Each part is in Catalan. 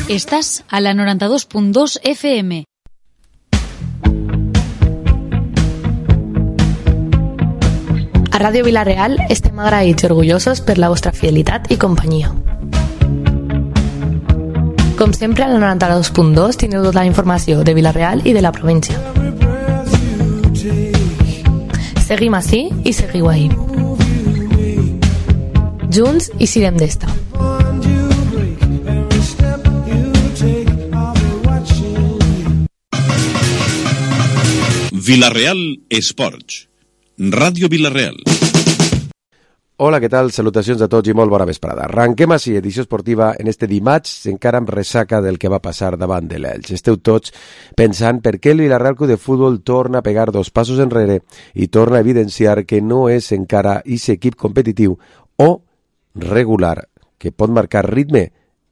Estàs a la 92.2 FM. A Ràdio Vila-real estem agraïts i orgullosos per la vostra fidelitat i companyia. Com sempre, a la 92.2 teniu tota la informació de Vila-real i de la província. Seguim ací i seguiu ahí. Junts i sirem d'esta. Vila-real Esports. Ràdio Vila-real. Hola, què tal? Salutacions a tots i molt bona vesprada. Arranquem així edició esportiva en este dimarts, encara amb ressaca del que va passar davant de l'Elx. Esteu tots pensant per què el Vila-real Club de Futbol torna a pegar dos passos enrere i torna a evidenciar que no és encara aquest equip competitiu o regular, que pot marcar ritme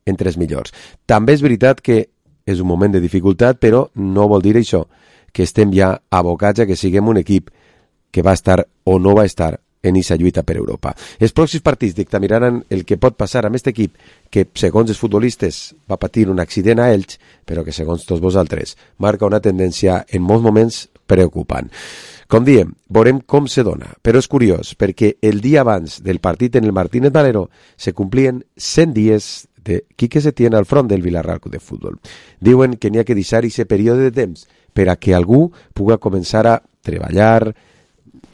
entre els millors. També és veritat que és un moment de dificultat, però no vol dir això que estem ja abocats a que siguem un equip que va estar o no va estar en aquesta lluita per Europa. Els pròxims partits dictaminaran el que pot passar amb aquest equip que, segons els futbolistes, va patir un accident a Elx, però que, segons tots vosaltres, marca una tendència en molts moments preocupant. Com diem, veurem com se dona, però és curiós perquè el dia abans del partit en el Martínez Valero se complien 100 dies de Quique Setién al front del Vila-real Club de Futbol. Diuen que n'hi ha que deixar aquest període de temps per a que algú pugui començar a treballar,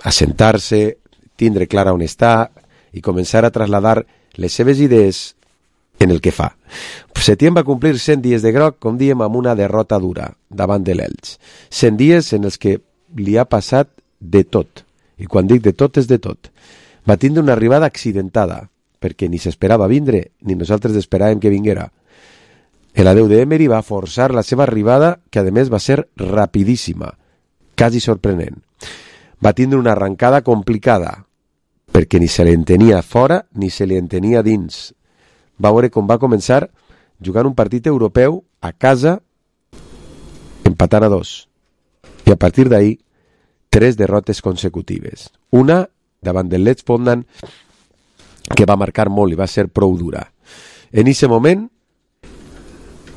a sentar-se, tindre clara on està i començar a trasladar les seves idees en el que fa. Setién va complir 100 dies de groc, com diem, amb una derrota dura davant de l'Elx. 100 dies en els que li ha passat de tot. I quan dic de tot, és de tot. Va tindre una arribada accidentada, perquè ni s'esperava vindre, ni nosaltres esperàvem que vinguera. L'adeu d'Emery va forçar la seva arribada, que a més va ser rapidíssima, quasi sorprenent. Va tindre una arrancada complicada, perquè ni se li entenia fora ni se li entenia dins. Va veure com va començar jugant un partit europeu a casa, empatant a 2. I a partir d'ahí, 3 derrotes consecutives. Una davant del Lech Poznan, que va marcar molt i va ser prou dura. En aquest moment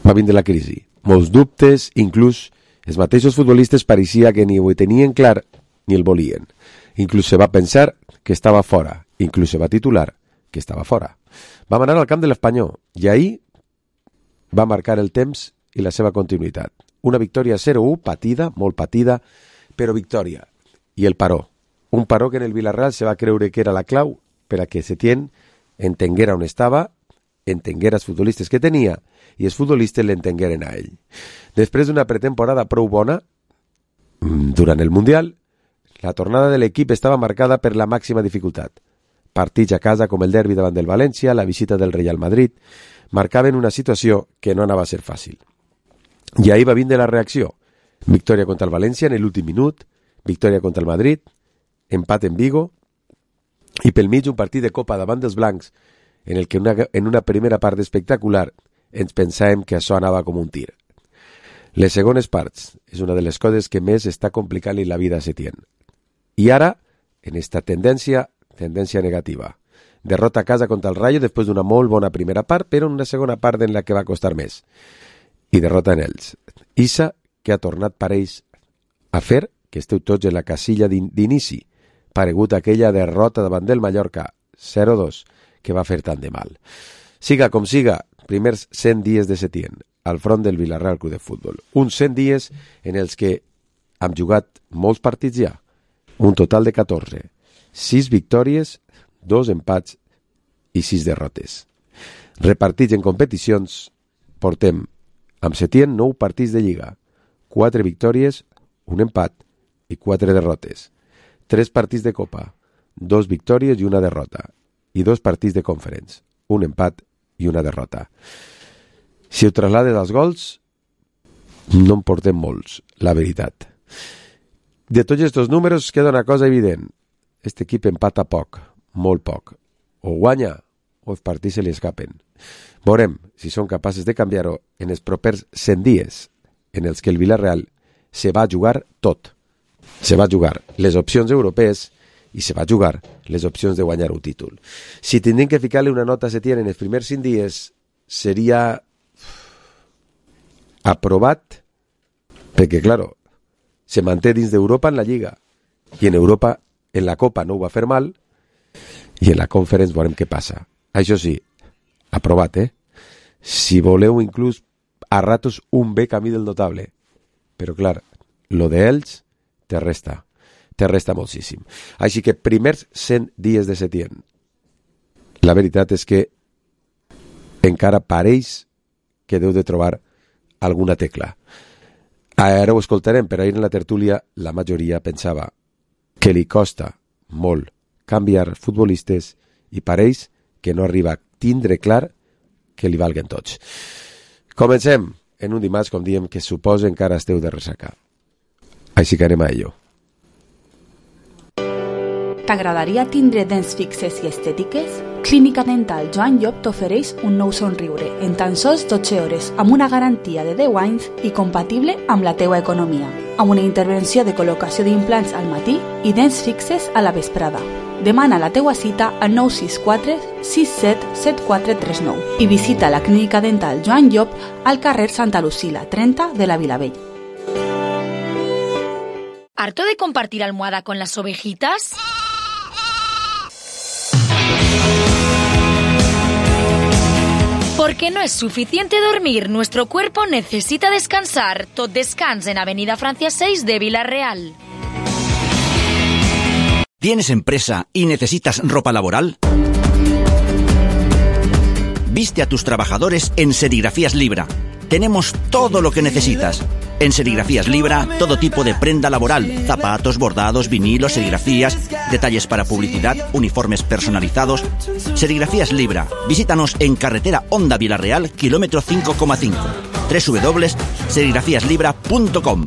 va vindre la crisi. Molts dubtes, inclús els mateixos futbolistes pareixia que ni ho tenien clar ni el volien. Inclús se va pensar que estava fora. Inclús se va titular que estava fora. Vam anar al camp de l'Espanyol i ahir va marcar el temps i la seva continuïtat. Una victòria 0-1, patida, molt patida, però victòria. I el paró. Un paró que en el Vila-real se va creure que era la clau per a que Setién entenguera on estava, entenguera els futbolistes que tenia i els futbolistes l'entengueren a ell. Després d'una pretemporada prou bona, durant el Mundial, la tornada de l'equip estava marcada per la màxima dificultat. Partits a casa com el derbi davant del València, la visita del Real Madrid, marcaven una situació que no anava a ser fàcil. I ahir va vindre la reacció. Victòria contra el València en l'últim minut, victòria contra el Madrid, empat en Vigo, i pel mig un partit de Copa davant dels blancs en el que en una primera part espectacular ens pensàvem que això anava com un tir. Les segones parts és una de les coses que més està complicant-li la vida a Setién. I ara, en esta tendència negativa. Derrota a casa contra el Rayo després d'una molt bona primera part, però en una segona part en la que va costar més. I derrota en ells. Issa, que ha tornat pareix a fer que esteu tots en la casilla d'inici, paregut a aquella derrota davant del Mallorca 0-2 que va fer tant de mal. Siga com siga, primers 100 dies de Setién al front del Vila-real Club de Futbol. Uns 100 dies en els que hem jugat molts partits ja, un total de 14, 6 victòries, 2 empats i 6 derrotes. Repartits en competicions, portem amb Setién 9 partits de Lliga, 4 victòries, un empat i 4 derrotes. 3 partits de Copa, 2 victòries i una derrota, i 2 partits de Conference, un empat i una derrota. Si ho traslades als gols, no en portem molts, la veritat. De tots aquests números queda una cosa evident. Este equip empata poc, molt poc. O guanya, o els partits se li escapen. Veurem si són capaces de canviar-ho en els propers 100 dies, en els que el Vila-real se va jugar tot. Se va jugar les opcions europees i se va jugar les opcions de guanyar un títol. Si tindrem que ficar-li una nota a Setién en els primers 5 dies, seria aprovat, perquè, claro, se manté dins d'Europa en la Lliga, i en Europa, en la Copa, no ho va fer mal, i en la Conference veurem què passa. Això sí, aprovat, Si voleu, inclús, a ratos, un bé camí del notable. Però, clar, lo d'ells te resta moltíssim. Així que primers 100 dies de Setién. La veritat és que encara pareix que deu de trobar alguna tecla. Ara ho escoltarem, però ahir en la tertúlia la majoria pensava que li costa molt canviar futbolistes i pareix que no arriba a tindre clar que li valguen tots. Comencem en un dimarts, com diem, que suposa encara esteu de ressaca. Així que anem a ello. T'agradaria tindre dents fixes i estètiques? Clínica Dental Joan Llop t'ofereix un nou somriure en tan sols 12 hores amb una garantia de 10 anys i compatible amb la teua economia, amb una intervenció de col·locació d'implants al matí i dents fixes a la vesprada. Demana la teua cita al 964 67 7439 i visita la Clínica Dental Joan Llop al carrer Santa Lucila 30 de la Vilavella. ¿Harto de compartir almohada con las ovejitas? Porque no es suficiente dormir, nuestro cuerpo necesita descansar. Tot Descans en Avenida Francia 6 de Vila-real. ¿Tienes empresa y necesitas ropa laboral? Viste a tus trabajadores en Serigrafías Libra. Tenemos todo lo que necesitas. En Serigrafías Libra, todo tipo de prenda laboral, zapatos, bordados, vinilos, serigrafías, detalles para publicidad, uniformes personalizados. Serigrafías Libra. Visítanos en carretera Honda Vila-real, kilómetro 5,5. www.serigrafíaslibra.com.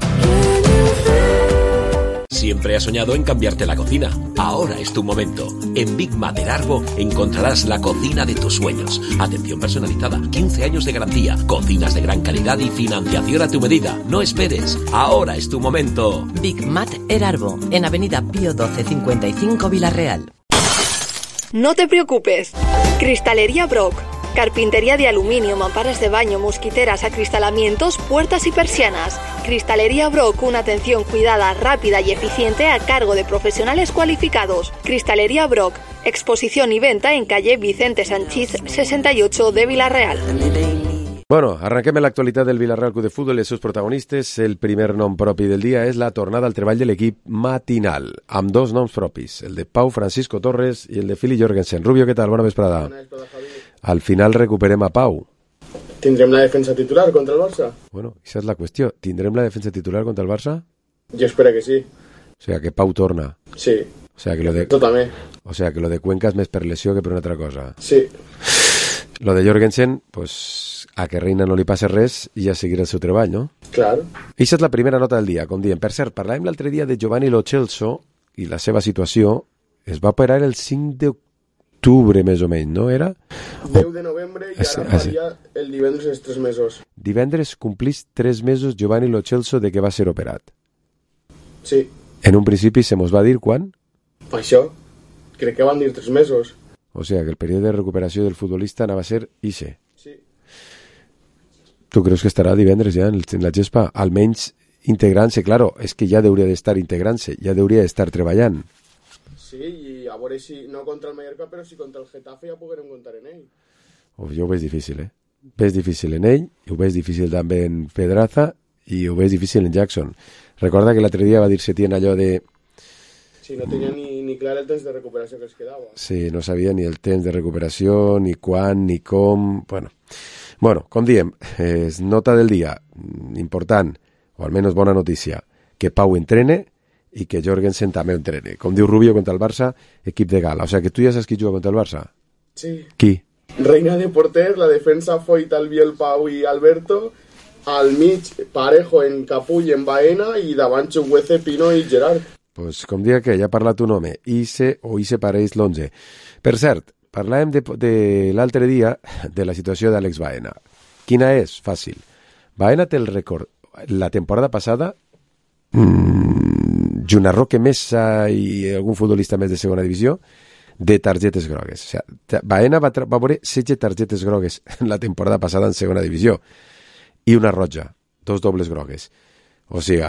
Siempre has soñado en cambiarte la cocina. Ahora es tu momento. En Big Mater Arbo encontrarás la cocina de tus sueños. Atención personalizada, 15 años de garantía, cocinas de gran calidad y financiación a tu medida. No esperes. Ahora es tu momento. Big Mater Arbo, en Avenida Pío 12 55 Vila-real. No te preocupes. Cristalería Brock. Carpintería de aluminio, mamparas de baño, mosquiteras, acristalamientos, puertas y persianas. Cristalería Brock, una atención cuidada, rápida y eficiente a cargo de profesionales cualificados. Cristalería Brock, exposición y venta en calle Vicente Sanchís 68 de Vila-real. Bueno, arranquem amb l'actualitat del Vila-real Club de Futbol i els seus protagonistes. El primer nom propi del dia és la tornada al treball de l'equip matinal, amb dos noms propis, el de Pau Francisco Torres i el de Fili Jorgensen. Rubio, què tal? Bona vesprada. Al final recuperem a Pau. ¿Tindrem la defensa titular contra el Barça? Bueno, esa és la qüestió. ¿Tindrem la defensa titular contra el Barça? Yo espero que sí. O sea, que Pau torna. Sí. O sea, que lo de... Yo también. O sea, que lo de Cuenca és més per lesió que per una altra cosa. Sí. Lo de Jorgensen, pues, a que Reina no li passa res i ja seguirà el seu treball, no? Claro. Eixa és la primera nota del dia, com diem. Per cert, parlàvem l'altre dia de Giovanni Lo Celso i la seva situació. Es va operar el 5 d'octubre, més o menys, no era? 10 de novembre i ara faria el divendres els 3 mesos. Divendres complís 3 mesos Giovanni Lo Celso de que va ser operat. Sí. En un principi se mos va dir quan? Això. Crec que van dir 3 mesos. O sea, que el període de recuperació del futbolista anava a ser ixe. Sí. Tu creus que estarà divendres ja en la gespa? Almenys integrant-se, claro, és que ja hauria d'estar integrant-se, ja hauria d'estar treballant. Sí, i a veure si no contra el Mallorca, però si contra el Getafe ja podrem comptar en ell. Jo ho veig difícil, Veig difícil en ell, ho veig difícil també en Pedraza i ho veig difícil en Jackson. Recorda que l'altre dia va dir Setién allò de... Sí, no tenia ni clar el temps de recuperació que es quedava. Sí, no sabia ni el temps de recuperació, ni quan, ni com... Bueno, com diem, és nota del dia important, o almenys bona notícia, que Pau entrene i que Jorgensen també entrene. Com diu Rubio, contra el Barça, equip de gala. O sea, que tu ja saps qui juga contra el Barça? Sí. Qui? Reina de porter, la defensa Foyt, Albiol, Pau i Alberto, al mig Parejo en Capull, en Baena, i davant Chukwueze, Pino i Gerard. Pues com dia que ja ha parlat un home, Ise pareix l'11. Per cert, parlàvem de l'altre dia de la situació d'Àlex Baena. Quina és? Fàcil. Baena té el rècord la temporada passada, junt a Roque Mesa i algun futbolista més de segona divisió, de targetes grogues. O sigui, Baena va veure 16 targetes grogues la temporada passada en segona divisió i una roja. 2 dobles grogues. O sigui,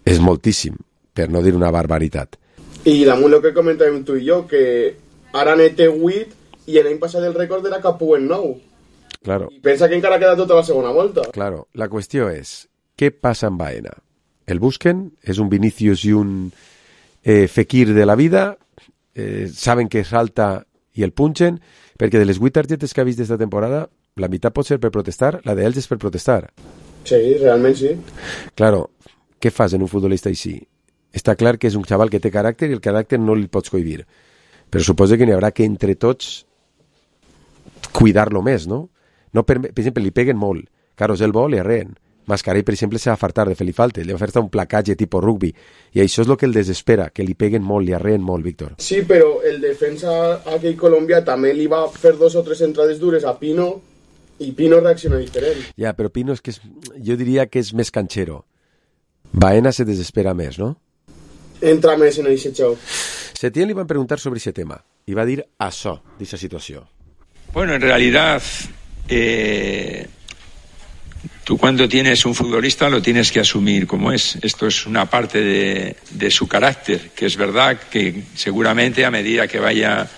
és moltíssim, per no dir una barbaritat. I damunt el que comentàvem tu i jo, que ara n'he 8 i l'any passat el rècord era Capú en 9. Claro. I pensa que encara queda tota la segona volta. Claro, la qüestió és, què passa amb Baena? El busquen? És un Vinicius i un Fekir de la vida? Saben que salta i el punxen? Perquè de les 8 targetes que ha vist d'esta temporada, la meitat pot ser per protestar, la d'ells és per protestar. Sí, realment sí. Claro, què fas en un futbolista així? Està clar que és un xaval que té caràcter i el caràcter no li pots cohibir. Però suposo que n'hi haurà que entre tots cuidar-lo més, no? No per exemple, li peguen molt. Carlos el vol i arreen. Mascarell, per exemple, s'ha fartar de fer-li falta. Li va fer un placatge tipus rugby. I això és el que el desespera, que li peguen molt, li arreen molt, Víctor. Sí, però el defensa aquell colombià també li va fer 2 o 3 entrades dures a Pino i Pino reacciona diferent. Ja, però Pino és que jo diria que és més canxero. Baena se desespera més, no? Entra més en aquest joc. Setién li van preguntar sobre aquest tema i va dir això, d'aquesta situació. Bueno, en realidad, tú cuando tienes un futbolista lo tienes que asumir como es. Esto es una parte de su carácter, que es verdad que seguramente a medida que vaya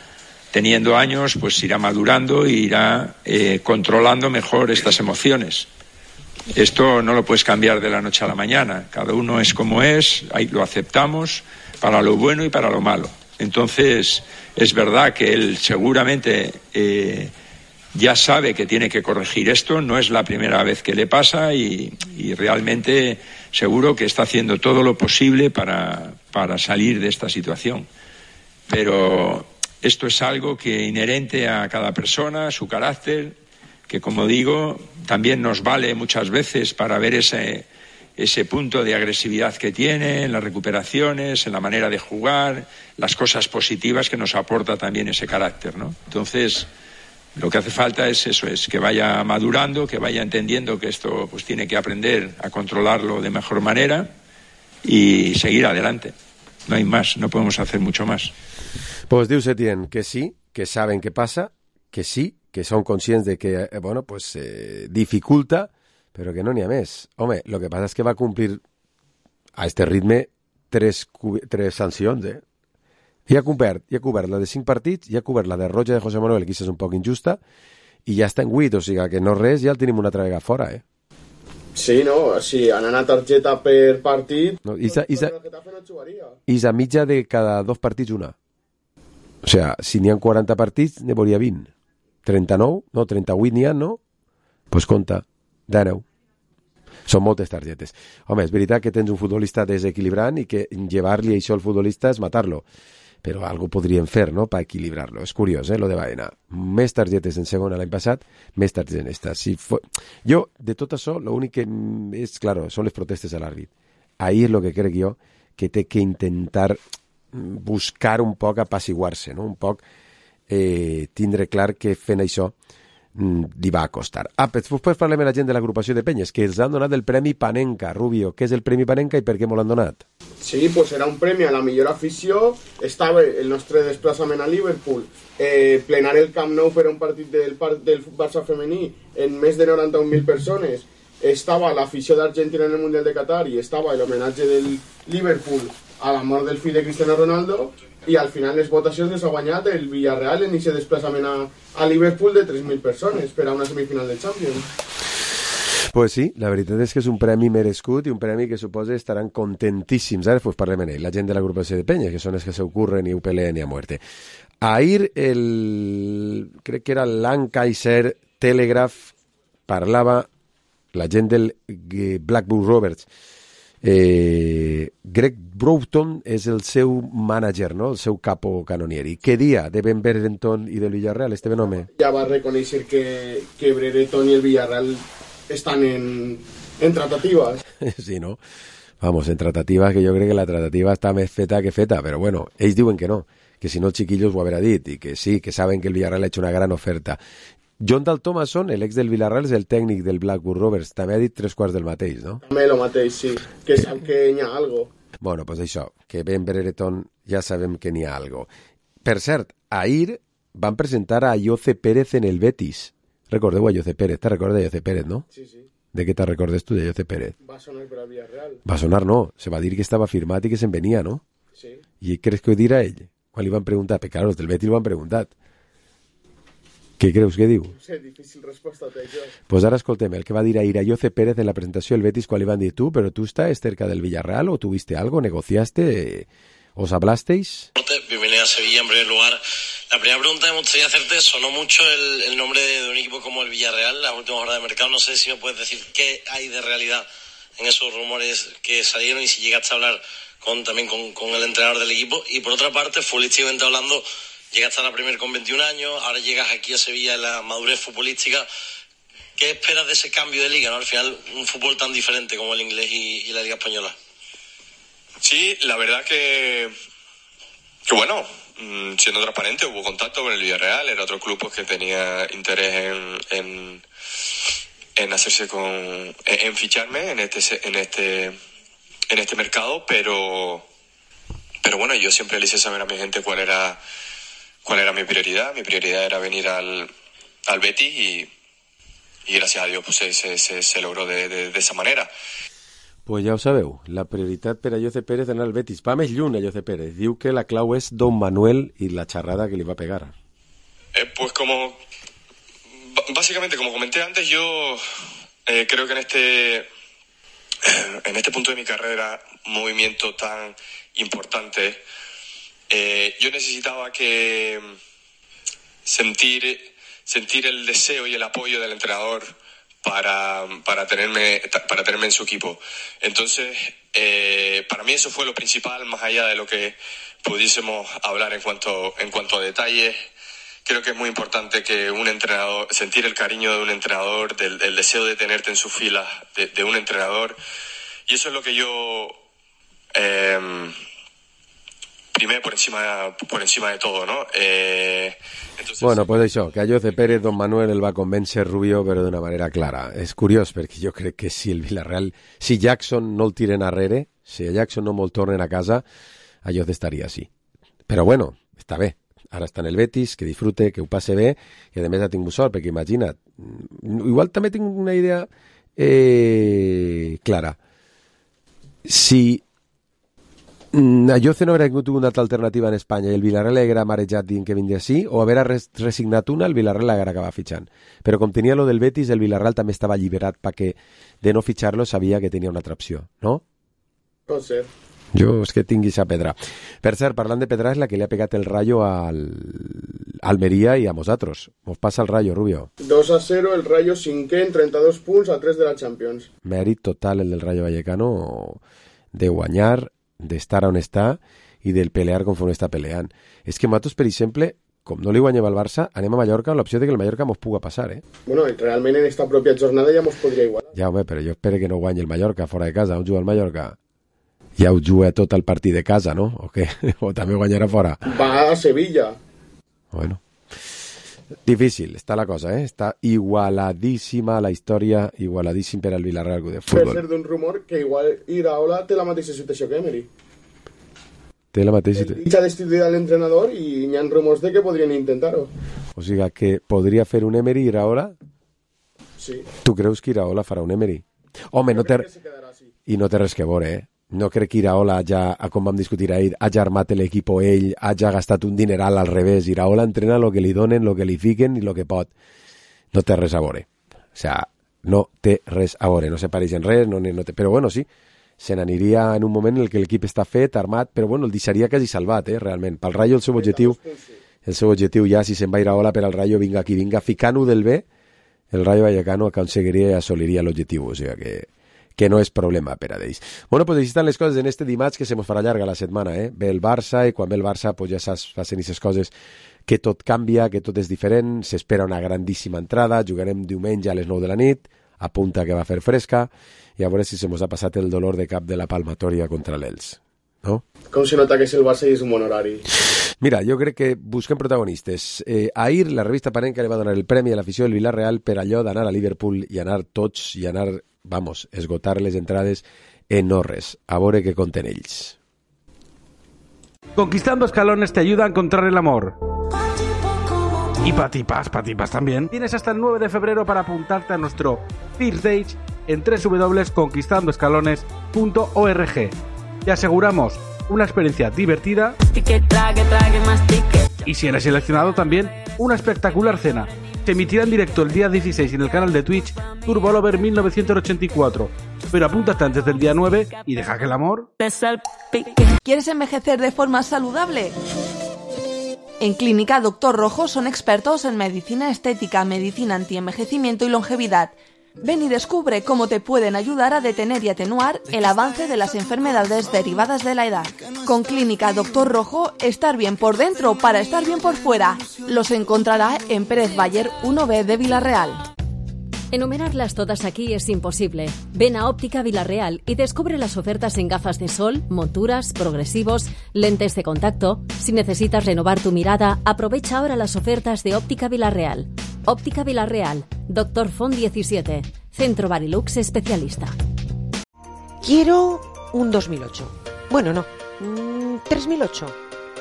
teniendo años, pues irá madurando e irá controlando mejor estas emociones. Esto no lo puedes cambiar de la noche a la mañana. Cada uno es como es, ahí lo aceptamos para lo bueno y para lo malo. Entonces, es verdad que él seguramente ya sabe que tiene que corregir esto, no es la primera vez que le pasa y realmente seguro que está haciendo todo lo posible para salir de esta situación. Pero esto es algo que inherente a cada persona, su carácter, que como digo, también nos vale muchas veces para ver ese punto de agresividad que tiene en las recuperaciones, en la manera de jugar, las cosas positivas que nos aporta también ese carácter, ¿no? Entonces, lo que hace falta es eso, es que vaya madurando, que vaya entendiendo que esto pues tiene que aprender a controlarlo de mejor manera y seguir adelante. No hay más, no podemos hacer mucho más. Pues diu Setién que sí, que saben què passa, que sí, que són conscients de que, bueno, pues dificulta, però que no n'hi ha més. Home, el que passa és que va complir a este ritme 3 sancions, Ja ha cobert la de 5 partits, ja ha cobert la de roja de José Manuel, que és un poc injusta, i ja està en 8, o sigui que no res, ja el tenim una altra vegada fora, Sí, no, si anant a targeta per partit, no, és a mitja de cada 2 partits una. O sigui, si n'hi ha 40 partits, ne veuria 20. 39, no, 38 n'hi ha, no? Doncs pues compta, 19. Són moltes targetes. Home, és veritat que tens un futbolista desequilibrant i que llevar-li això al futbolista és matar-lo. Però algo podríem fer, no?, per equilibrar-lo. És curiós, lo de Baena. Més targetes en segona l'any passat, més targetes en esta. Jo, de tot això, l'únic que és, claro, són les protestes a l'àrbit. Ahí és el que crec jo que té que intentar buscar un poc apaciguar-se, no?, un poc tindre clar que fent això li va costar. Després parlem amb la gent de l'agrupació de penyes, que els han donat el Premi Panenka. Rubio, què és el Premi Panenka i per què m'ho l'han donat? Sí, pues era un premi a la millor afició. Estava el nostre desplaçament a Liverpool, plenar el Camp Nou per un partit del Barça femení en més de 91.000 persones. Estava l'afició d'Argentina en el Mundial de Qatar i estava l'homenatge del Liverpool a la mort del fill de Cristiano Ronaldo. I al final les votacions les ha guanyat el Villarreal en aquest desplaçament a Liverpool de 3.000 persones per a una semifinal de Champions. Pues sí, la veritat és que és un premi merescut i un premi que suposa estaran contentíssims. Ara pues parlem en ell, la gent de l'agrupació de penyes, que són els que se ocurren i ho peleen i a muerte. Ahir crec que era l'Ankaiser Telegraph parlava la gent del Blackburn Rovers. Greg Broughton és el seu manager, no?, el seu capo canonieri. Què dia de Ben Brereton i del Villarreal, este home? Ja va reconèixer que Brereton i el Villarreal estan en tratativas. Sí, no? Vamos, en tratativas, que jo crec que la tratativa està més feta que feta, però bueno, ells diuen que no, que si no els chiquillos ho haurà dit, i que sí, que saben que el Villarreal ha hecho una gran oferta. John Dal Thomason, l'ex del Villarreal, és el tècnic del Blackburn Rovers. També ha dit 3/4 del mateix, no? També el mateix, sí. Que sap que n'hi ha algo. Bueno, pues això, que Ben Brereton ja sabem que n'hi ha algo. Per cert, ahir van presentar a Ayoce Pérez en el Betis. Recordeu a Ayoce Pérez, te recordes de Ayoce Pérez, no? Sí, sí. De què te'n recordes tu, de José Pérez? Va sonar per al Villarreal. Va sonar, no. Se va dir que estava firmat i que se'n venia, no? Sí. I creus que ho dirà ell? Quan li van preguntar? Perquè, claro, els del Betis ho han preguntat. Què creus que diu? No sé, difícil resposta té jo. Pues ara escoltem el que va dir ahir a José Pérez en la presentació del Betis quan li van dir tú, pero tú estás cerca del Villarreal o tuviste algo, negociaste, os hablasteis. Bienvenido a Sevilla en primer lugar. La primera pregunta que me gustaría hacerte, sonó mucho el nombre de un equipo como el Villarreal, las últimas horas de mercado. No sé si me puedes decir qué hay de realidad en esos rumores que salieron y si llegaste a hablar también con el entrenador del equipo. Y por otra parte, futbolísticamente hablando, llegaste a la Premier con 21 años, ahora llegas aquí a Sevilla en la madurez futbolística. ¿Qué esperas de ese cambio de liga, ¿no? Al final, un fútbol tan diferente como el inglés y la liga española. Sí, la verdad que bueno, siendo transparente, hubo contacto con el Villarreal, era otro club que tenía interés en hacerse en ficharme en este mercado, pero bueno, yo siempre le hice saber a mi gente cuál era mi prioridad. Mi prioridad era venir al Betis y gracias a Dios pues se logró de esa manera. Pues ja ho sabeu, la prioritat per a José Pérez anar al Betis. Va més lluny a José Pérez. Diu que la clau és Don Manuel y la charrada que le va a pegar. Pues básicamente, como comenté antes, yo creo que en este punto de mi carrera, un movimiento tan importante, yo necesitaba que sentir el deseo y el apoyo del entrenador para tenerme en su equipo. Entonces, para mí eso fue lo principal, más allá de lo que pudiésemos hablar en cuanto a detalles. Creo que es muy importante que un entrenador, sentir el cariño de un entrenador, el deseo de tenerte en sus filas de un entrenador, y eso es lo que yo primé por encima de todo, ¿no? Entonces... Bueno, pues això, que a José Pérez Don Manuel el va convèncer Rubio, però d'una manera clara. És curiós, perquè jo crec que si el Villarreal, si Jackson no el tiren arrere, si a Jackson no me'l tornen a casa, a José estaria així. Però bueno, està bé. Ara està en el Betis, que disfrute, que ho passe bé, i a més ha tingut sort, perquè imagina't, igual també tinc una idea clara. Si a José no haguera tingut una altra alternativa en Espanya i el Villarreal haguera marejat dient que vindria així, o haguera resignat una, el Villarreal haguera acabat fitxant. Però com tenia lo del Betis, el Villarreal també estava alliberat perquè de no fitxar-lo sabia que tenia una altra opció, no? Pot ser. Jo és que tinguis a pedra. Per cert, parlant de pedra, és la que li ha pegat el Rayo al Almeria i a nosaltres. Mos passa el Rayo, Rubio. 2-0, el Rayo cinquè en 32 punts a 3 de la Champions. Mèrit total el del Rayo Vallecano de guanyar, d'estar on està i del pelear conforme està peleant. És que nosaltres, per exemple, com no li guanyem al Barça, anem a Mallorca amb l'opció de que el Mallorca mos puga passar, eh? Bueno, realment en esta pròpia jornada ja mos podria igualar. Ja, home, però jo espero que no guanyi el Mallorca fora de casa. On juga el Mallorca? Ja ho juga tot el partit de casa, no? O què? O també guanyarà fora? Va a Sevilla. Bueno, difícil està la cosa, eh? Està igualadíssima la història, igualadíssim per al Villarreal de futbol. Per ser d'un rumor que igual Iraola té la mateixa situació que Emery. Té la mateixa situació. Dicha destituir a l'entrenador i hi ha rumors de que podrien intentar-ho. O sigui que podria fer un Emery Iraola? Sí. Tu creus que Iraola farà un Emery? Home, no té... I no té res que veure, eh? No crec que Iraola, com vam discutir ahir, hagi armat l'equip ell, hagi gastat un dineral al revés. Iraola entrena el que li donen, el que li fiquen i el que pot. No té res a veure. O sigui, no té res a veure. No se pareix en res, no té... Però bueno, sí, se n'aniria en un moment en el que l'equip està fet, armat, però bueno, el deixaria quasi salvat, realment. Pel Rayo el seu objectiu ja, si se'n va Iraola per al Rayo, vinga aquí, vinga, ficant-ho del bé, el Rayo Vallecano aconseguiria i assoliria l'objectiu. O sigui que no és problema per a ells. Bueno, pues així estan les coses en este dimarts, que se mos farà llarga la setmana, eh? Ve el Barça, i quan ve el Barça, pues ja saps, facin aquestes coses que tot canvia, que tot és diferent, s'espera una grandíssima entrada, jugarem diumenge a les 9 de la nit, apunta que va fer fresca, i a veure si se mos ha passat el dolor de cap de la palmatòria contra l'Elx, no? Com se nota que és el Barça i és un bon horari. Mira, jo crec que busquem protagonistes. Ahir la revista Panenka li va donar el premi a l'afició del Villarreal per allò d'anar a Liverpool i anar tots, i anar, vamos, esgotar les entrades en Norres. A veure què conten ells. Conquistando escalones te ayuda a encontrar el amor. Y patipas también. Tienes hasta el 9 de febrero para apuntarte a nuestro First Stage en www.conquistandoescalones.org. Te aseguramos una experiencia divertida y si eres seleccionado también una espectacular cena. Se emitirá en directo el día 16 en el canal de Twitch Turbolover 1984. Pero apúntate antes del día 9 y deja que el amor... ¿Quieres envejecer de forma saludable? En Clínica Doctor Rojo son expertos en medicina estética, medicina antienvejecimiento y longevidad. Ven y descubre cómo te pueden ayudar a detener y atenuar el avance de las enfermedades derivadas de la edad. Con Clínica Doctor Rojo, estar bien por dentro para estar bien por fuera. Los encontrará en Pérez Bayer 1B de Villarreal. Enumerarlas todas aquí es imposible. Ven a Óptica Villarreal y descubre las ofertas en gafas de sol, monturas, progresivos, lentes de contacto. Si necesitas renovar tu mirada, aprovecha ahora las ofertas de Óptica Villarreal. Óptica Villarreal, Dr. Font 17, Centro Barilux Especialista. Quiero un 2008. Bueno, no. 3008.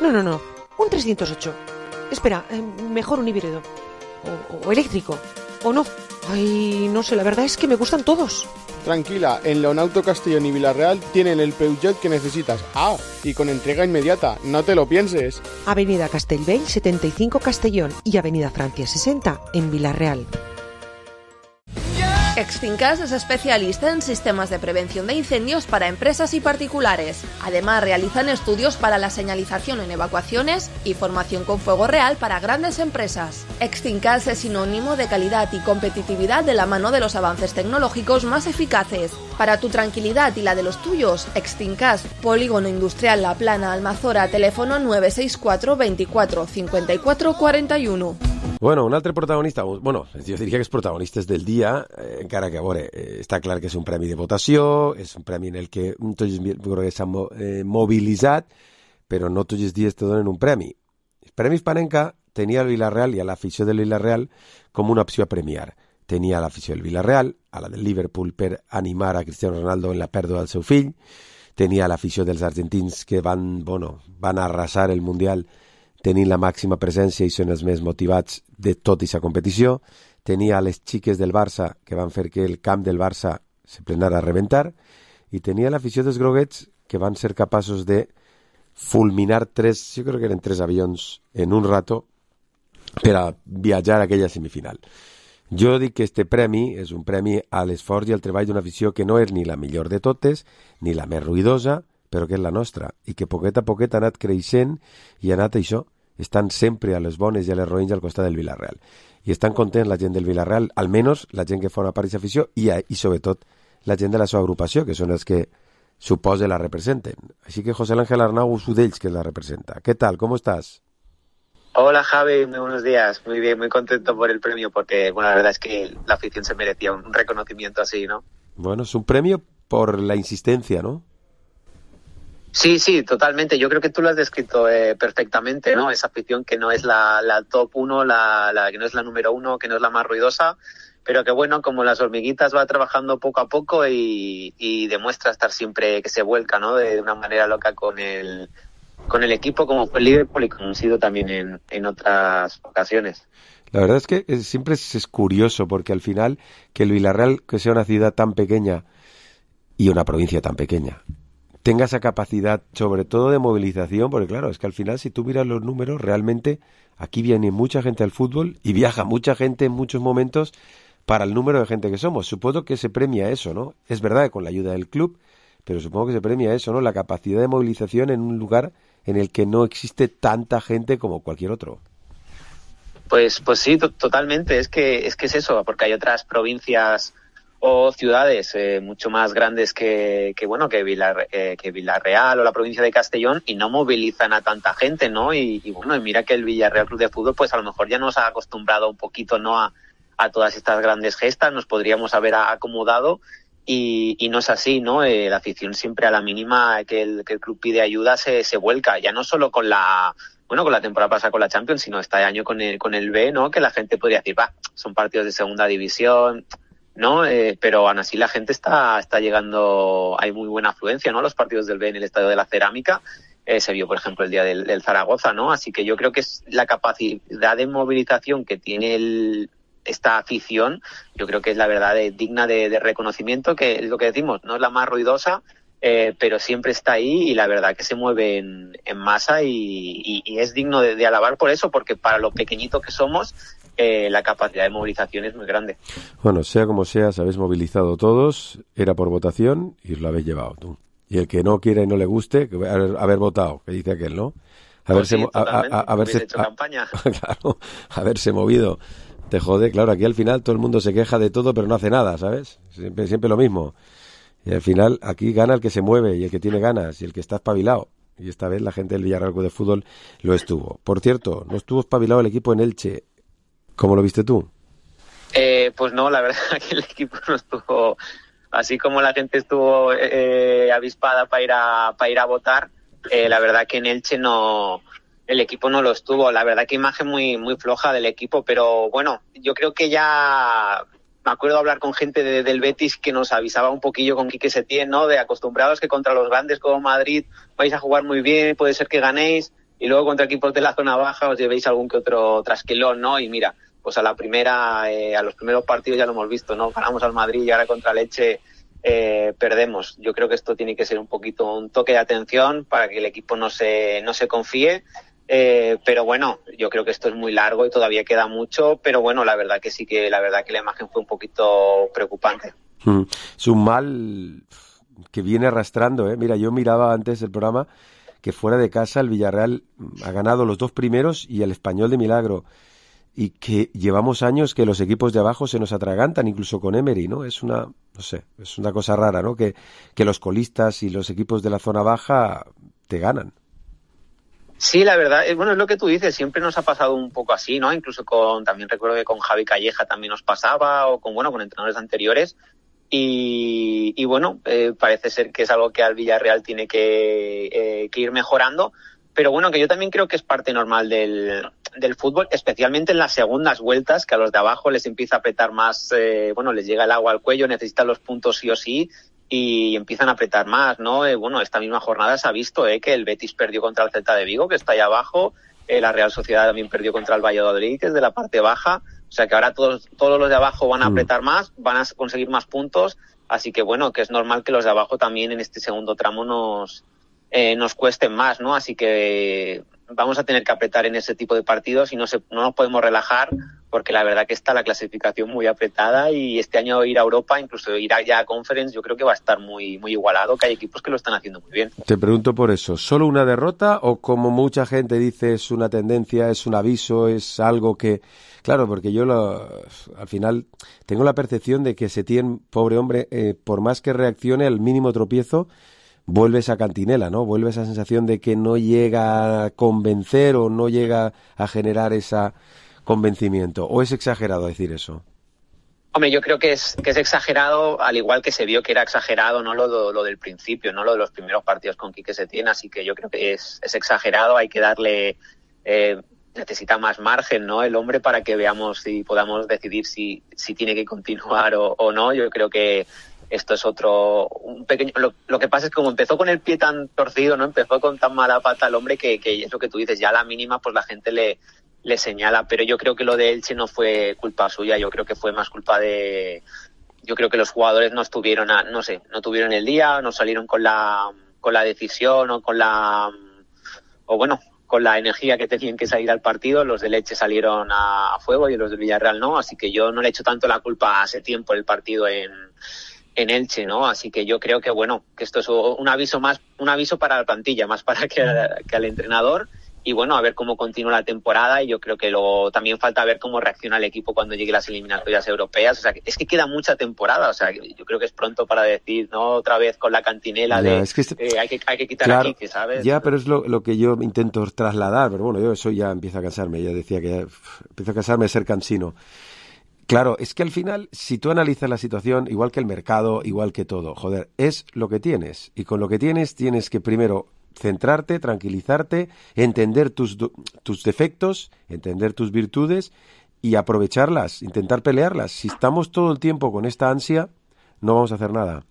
No. Un 308. Espera, mejor un híbrido. O eléctrico. O no. Ay, no sé, la verdad es que me gustan todos. Tranquila, en Leonauto Castellón y Villarreal tienen el Peugeot que necesitas. Ah, y con entrega inmediata, no te lo pienses. Avenida Castellbell 75 Castellón y Avenida Francia 60 en Villarreal. Extincas es especialista en sistemas de prevención de incendios para empresas y particulares. Además, realizan estudios para la señalización en evacuaciones y formación con fuego real para grandes empresas. Extincas es sinónimo de calidad y competitividad de la mano de los avances tecnológicos más eficaces. Para tu tranquilidad y la de los tuyos, Extincas, Polígono Industrial La Plana, Almazora, teléfono 964 24 54 41. Bueno, un altre protagonista, bueno, jo diria que els protagonistes del dia, encara que, a veure, està clar que és un premi de votació, és un premi en el que tots s'han mobilitzat, però no tots els dies te donen un premi. El Premi Hispanenca tenia el Villarreal i a l'afició del Villarreal com una opció a premiar. Tenia l'afició del Villarreal, a la del Liverpool per animar a Cristiano Ronaldo en la pèrdua del seu fill, tenia l'afició dels argentins que van arrasar el Mundial tenint la màxima presència i són els més motivats de tota aquesta competició. Tenia les xiques del Barça que van fer que el camp del Barça se plenara a reventar i tenia l'afició dels groguets que van ser capaços de fulminar jo crec que eren 3 avions en un rato per a viatjar a aquella semifinal. Jo dic que este premi és un premi a l'esforç i al treball d'una afició que no és ni la millor de totes, ni la més ruïdosa, però que és la nostra, i que poquet a poquet ha anat creixent i ha anat això, estan sempre a les bones i a les roïns al costat del Villarreal. I estan contents la gent del Villarreal, almenys la gent que forma part d'aquesta afició i sobretot la gent de la seva agrupació, que són els que suposa la representen. Així que José Ángel Arnau és un d'ells que la representa. ¿Qué tal? ¿Cómo estás? Hola Javi, muy buenos días. Muy bien, muy contento por el premio porque, bueno, la verdad es que la afición se merecía un reconocimiento así, ¿no? Bueno, es un premio por la insistencia, ¿no? Sí, totalmente. Yo creo que tú lo has descrito perfectamente, ¿no? Esa afición que no es la top 1, la que no es la número 1, que no es la más ruidosa, pero que bueno, como las hormiguitas va trabajando poco a poco y demuestra estar siempre que se vuelca, ¿no? De una manera loca con el equipo, como fue el Liverpool y como ha sido también en otras ocasiones. La verdad es que siempre es curioso porque al final que el Villarreal, que sea una ciudad tan pequeña y una provincia tan pequeña, tenga esa capacidad, sobre todo de movilización, porque claro, es que al final si tú miras los números, realmente aquí viene mucha gente al fútbol y viaja mucha gente en muchos momentos para el número de gente que somos. Supongo que se premia eso, ¿no? Es verdad que con la ayuda del club, pero supongo que se premia eso, ¿no? La capacidad de movilización en un lugar en el que no existe tanta gente como cualquier otro. Pues sí, totalmente. Es que es eso, porque hay otras provincias o ciudades mucho más grandes que Villarreal o la provincia de Castellón y no movilizan a tanta gente, ¿no? Y bueno, y mira que el Villarreal Club de Fútbol pues a lo mejor ya nos ha acostumbrado un poquito, ¿no? A todas estas grandes gestas, nos podríamos haber acomodado y no es así, ¿no? La afición siempre a la mínima que el club pide ayuda se vuelca, ya no solo con la temporada pasada con la Champions, sino este año con el B, ¿no? Que la gente podría decir, son partidos de segunda división, ¿no? Pero aún así la gente está llegando, hay muy buena afluencia, ¿no? Los partidos del B en el Estadio de la Cerámica, se vio, por ejemplo, el día del Zaragoza, ¿no? Así que yo creo que es la capacidad de movilización que tiene el esta afición, yo creo que es la verdad digna de reconocimiento, que es lo que decimos, no es la más ruidosa, pero siempre está ahí y la verdad que se mueve en masa y es digno de alabar por eso, porque para lo pequeñito que somos, la capacidad de movilización es muy grande. Bueno, sea como sea, se habéis movilizado todos, era por votación y os lo habéis llevado tú. Y el que no quiera y no le guste, que haber votado, que dice aquel, ¿no? Haberse hecho campaña. Claro, haberse movido. Te jode, claro, aquí al final todo el mundo se queja de todo, pero no hace nada, ¿sabes? Siempre lo mismo. Y al final aquí gana el que se mueve y el que tiene ganas y el que está espabilado. Y esta vez la gente del Villarreal Club de Fútbol lo estuvo. Por cierto, no estuvo espabilado el equipo en Elche. ¿Cómo lo viste tú? Pues no, la verdad que el equipo no estuvo... Así como la gente estuvo avispada para ir a votar, la verdad que en Elche no... El equipo no lo estuvo. La verdad que imagen muy floja del equipo, pero bueno, yo creo que ya... Me acuerdo hablar con gente del Betis que nos avisaba un poquillo con Quique Setién, ¿no? De acostumbrados que contra los grandes como Madrid vais a jugar muy bien, puede ser que ganéis, y luego contra equipos de la zona baja os llevéis algún que otro trasquilón, ¿no? Y mira, pues a los primeros partidos ya lo hemos visto, ¿no? Ganamos al Madrid y ahora contra el Elche perdemos. Yo creo que esto tiene que ser un poquito un toque de atención para que el equipo no se confíe. Pero bueno, yo creo que esto es muy largo y todavía queda mucho, pero bueno, la verdad que la imagen fue un poquito preocupante. Es un mal que viene arrastrando, ¿eh? Mira, yo miraba antes del programa que fuera de casa el Villarreal ha ganado los 2 primeros y el Español de milagro, y que llevamos años que los equipos de abajo se nos atragantan, incluso con Emery, ¿no? Es una cosa rara, ¿no? Que los colistas y los equipos de la zona baja te ganan. Sí, la verdad, bueno, es lo que tú dices, siempre nos ha pasado un poco así, ¿no? Incluso también recuerdo que con Javi Calleja también nos pasaba, o con entrenadores anteriores, y bueno, parece ser que es algo que al Villarreal tiene que ir mejorando, pero bueno, que yo también creo que es parte normal del fútbol, especialmente en las segundas vueltas, que a los de abajo les empieza a apretar más, les llega el agua al cuello, necesitan los puntos sí o sí, y empiezan a apretar más, ¿no? Esta misma jornada se ha visto que el Betis perdió contra el Celta de Vigo, que está ahí abajo, la Real Sociedad también perdió contra el Valladolid, que es de la parte baja, o sea que ahora todos los de abajo van a apretar más, van a conseguir más puntos, así que bueno, que es normal que los de abajo también en este segundo tramo nos cuesten más, ¿no? Así que vamos a tener que apretar en ese tipo de partidos y no nos podemos relajar, porque la verdad que está la clasificación muy apretada y este año ir a Europa, incluso ir ya a Conference, yo creo que va a estar muy, muy igualado, que hay equipos que lo están haciendo muy bien. Te pregunto por eso, ¿solo una derrota o como mucha gente dice es una tendencia, es un aviso, es algo que... Claro, porque yo al final tengo la percepción de que Setién, pobre hombre, por más que reaccione al mínimo tropiezo, vuelve esa cantinela, ¿no? Vuelve esa sensación de que no llega a convencer o no llega a generar ese convencimiento. ¿O es exagerado decir eso? Hombre, yo creo que es exagerado, al igual que se vio que era exagerado, ¿no? Lo del principio, ¿no? Lo de los primeros partidos con Quique Setién, así que yo creo que es exagerado, hay que darle... necesita más margen, ¿no? El hombre, para que veamos si podamos decidir si tiene que continuar o no. Yo creo que esto es un pequeño... Lo que pasa es que como empezó con el pie tan torcido, ¿no? Empezó con tan mala pata el hombre que es lo que tú dices, ya a la mínima pues la gente le señala, pero yo creo que lo de Elche no fue culpa suya, yo creo que fue más culpa de... Yo creo que los jugadores no estuvieron no tuvieron el día, no salieron con la decisión o con la energía que tenían que salir al partido. Los de Elche salieron a fuego y los del Villarreal no, así que yo no le echo tanto la culpa hace tiempo el partido en Elche, ¿no? Así que yo creo que que esto es un aviso para la plantilla, más para que al entrenador, y bueno, a ver cómo continúa la temporada, y yo creo que también falta ver cómo reacciona el equipo cuando llegue las eliminatorias europeas. O sea, es que queda mucha temporada, o sea, yo creo que es pronto para decir, ¿no? Otra vez con la cantinela hay que quitar claro, aquí, ¿sabes? Ya, pero es lo que yo intento trasladar, pero bueno, yo eso ya empiezo a cansarme, ya decía que empiezo a cansarme de ser cansino. Claro, es que al final, si tú analizas la situación, igual que el mercado, igual que todo, joder, es lo que tienes. Y con lo que tienes que primero centrarte, tranquilizarte, entender tus defectos, entender tus virtudes y aprovecharlas, intentar pelearlas. Si estamos todo el tiempo con esta ansia, no vamos a hacer nada.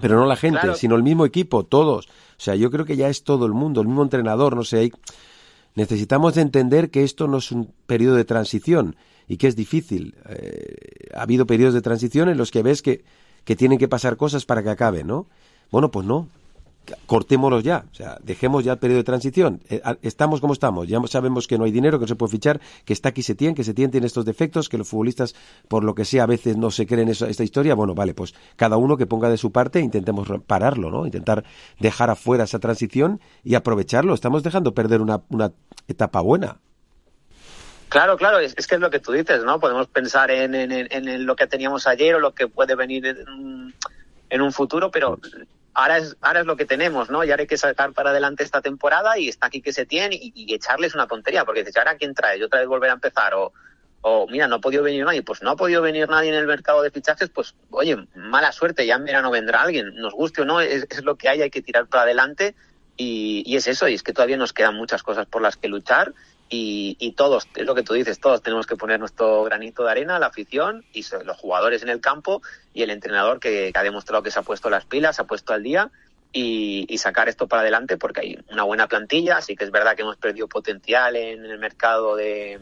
Pero no la gente, claro, sino el mismo equipo, todos. O sea, yo creo que ya es todo el mundo, el mismo entrenador, no sé. Necesitamos de entender que esto no es un periodo de transición, y que es difícil. Ha habido periodos de transición en los que ves que tienen que pasar cosas para que acabe, ¿no? Bueno, pues no. Cortémoslos ya, o sea, dejemos ya el periodo de transición. Estamos como estamos, ya sabemos que no hay dinero, que no se puede fichar, que está aquí Setién, que Setién tiene estos defectos, que los futbolistas, por lo que sea, a veces no se creen esta historia. Bueno, vale, pues cada uno que ponga de su parte e intentemos pararlo, ¿no? Intentar dejar afuera esa transición y aprovecharlo. Estamos dejando perder una etapa buena. Claro, es que es lo que tú dices, ¿no? Podemos pensar en lo que teníamos ayer o lo que puede venir en un futuro, pero ahora es lo que tenemos, ¿no? Y ahora hay que sacar para adelante esta temporada y está aquí que Setién y echarles una tontería, porque dices, ¿ahora quién trae? ¿Yo otra vez volver a empezar? O mira, no ha podido venir nadie. Pues no ha podido venir nadie en el mercado de fichajes, pues oye, mala suerte, ya en verano vendrá alguien. Nos guste o no, es lo que hay que tirar para adelante y es eso, y es que todavía nos quedan muchas cosas por las que luchar y todos, es lo que tú dices, todos tenemos que poner nuestro granito de arena, la afición y los jugadores en el campo y el entrenador que ha demostrado que se ha puesto las pilas, se ha puesto al día y sacar esto para adelante porque hay una buena plantilla. Sí que es verdad que hemos perdido potencial en el mercado de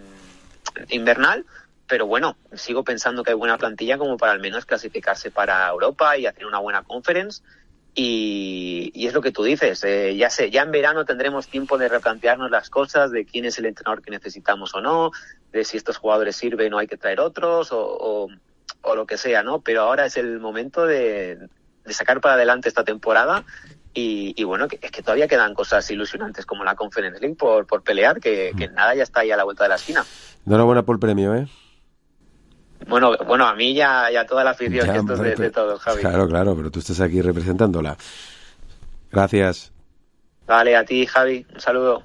invernal, pero bueno, sigo pensando que hay buena plantilla como para al menos clasificarse para Europa y hacer una buena conference. Y es lo que tú dices, ya en verano tendremos tiempo de replantearnos las cosas, de quién es el entrenador que necesitamos o no, de si estos jugadores sirven o hay que traer otros o lo que sea, ¿no? Pero ahora es el momento de sacar para adelante esta temporada y bueno, es que todavía quedan cosas ilusionantes como la Conference League por pelear, que nada ya está ahí a la vuelta de la esquina. Enhorabuena por el premio, ¿eh? Bueno, a mí ya toda la afición, que esto es de todos, Javi. Claro, pero tú estás aquí representándola. Gracias. Vale, a ti, Javi, un saludo.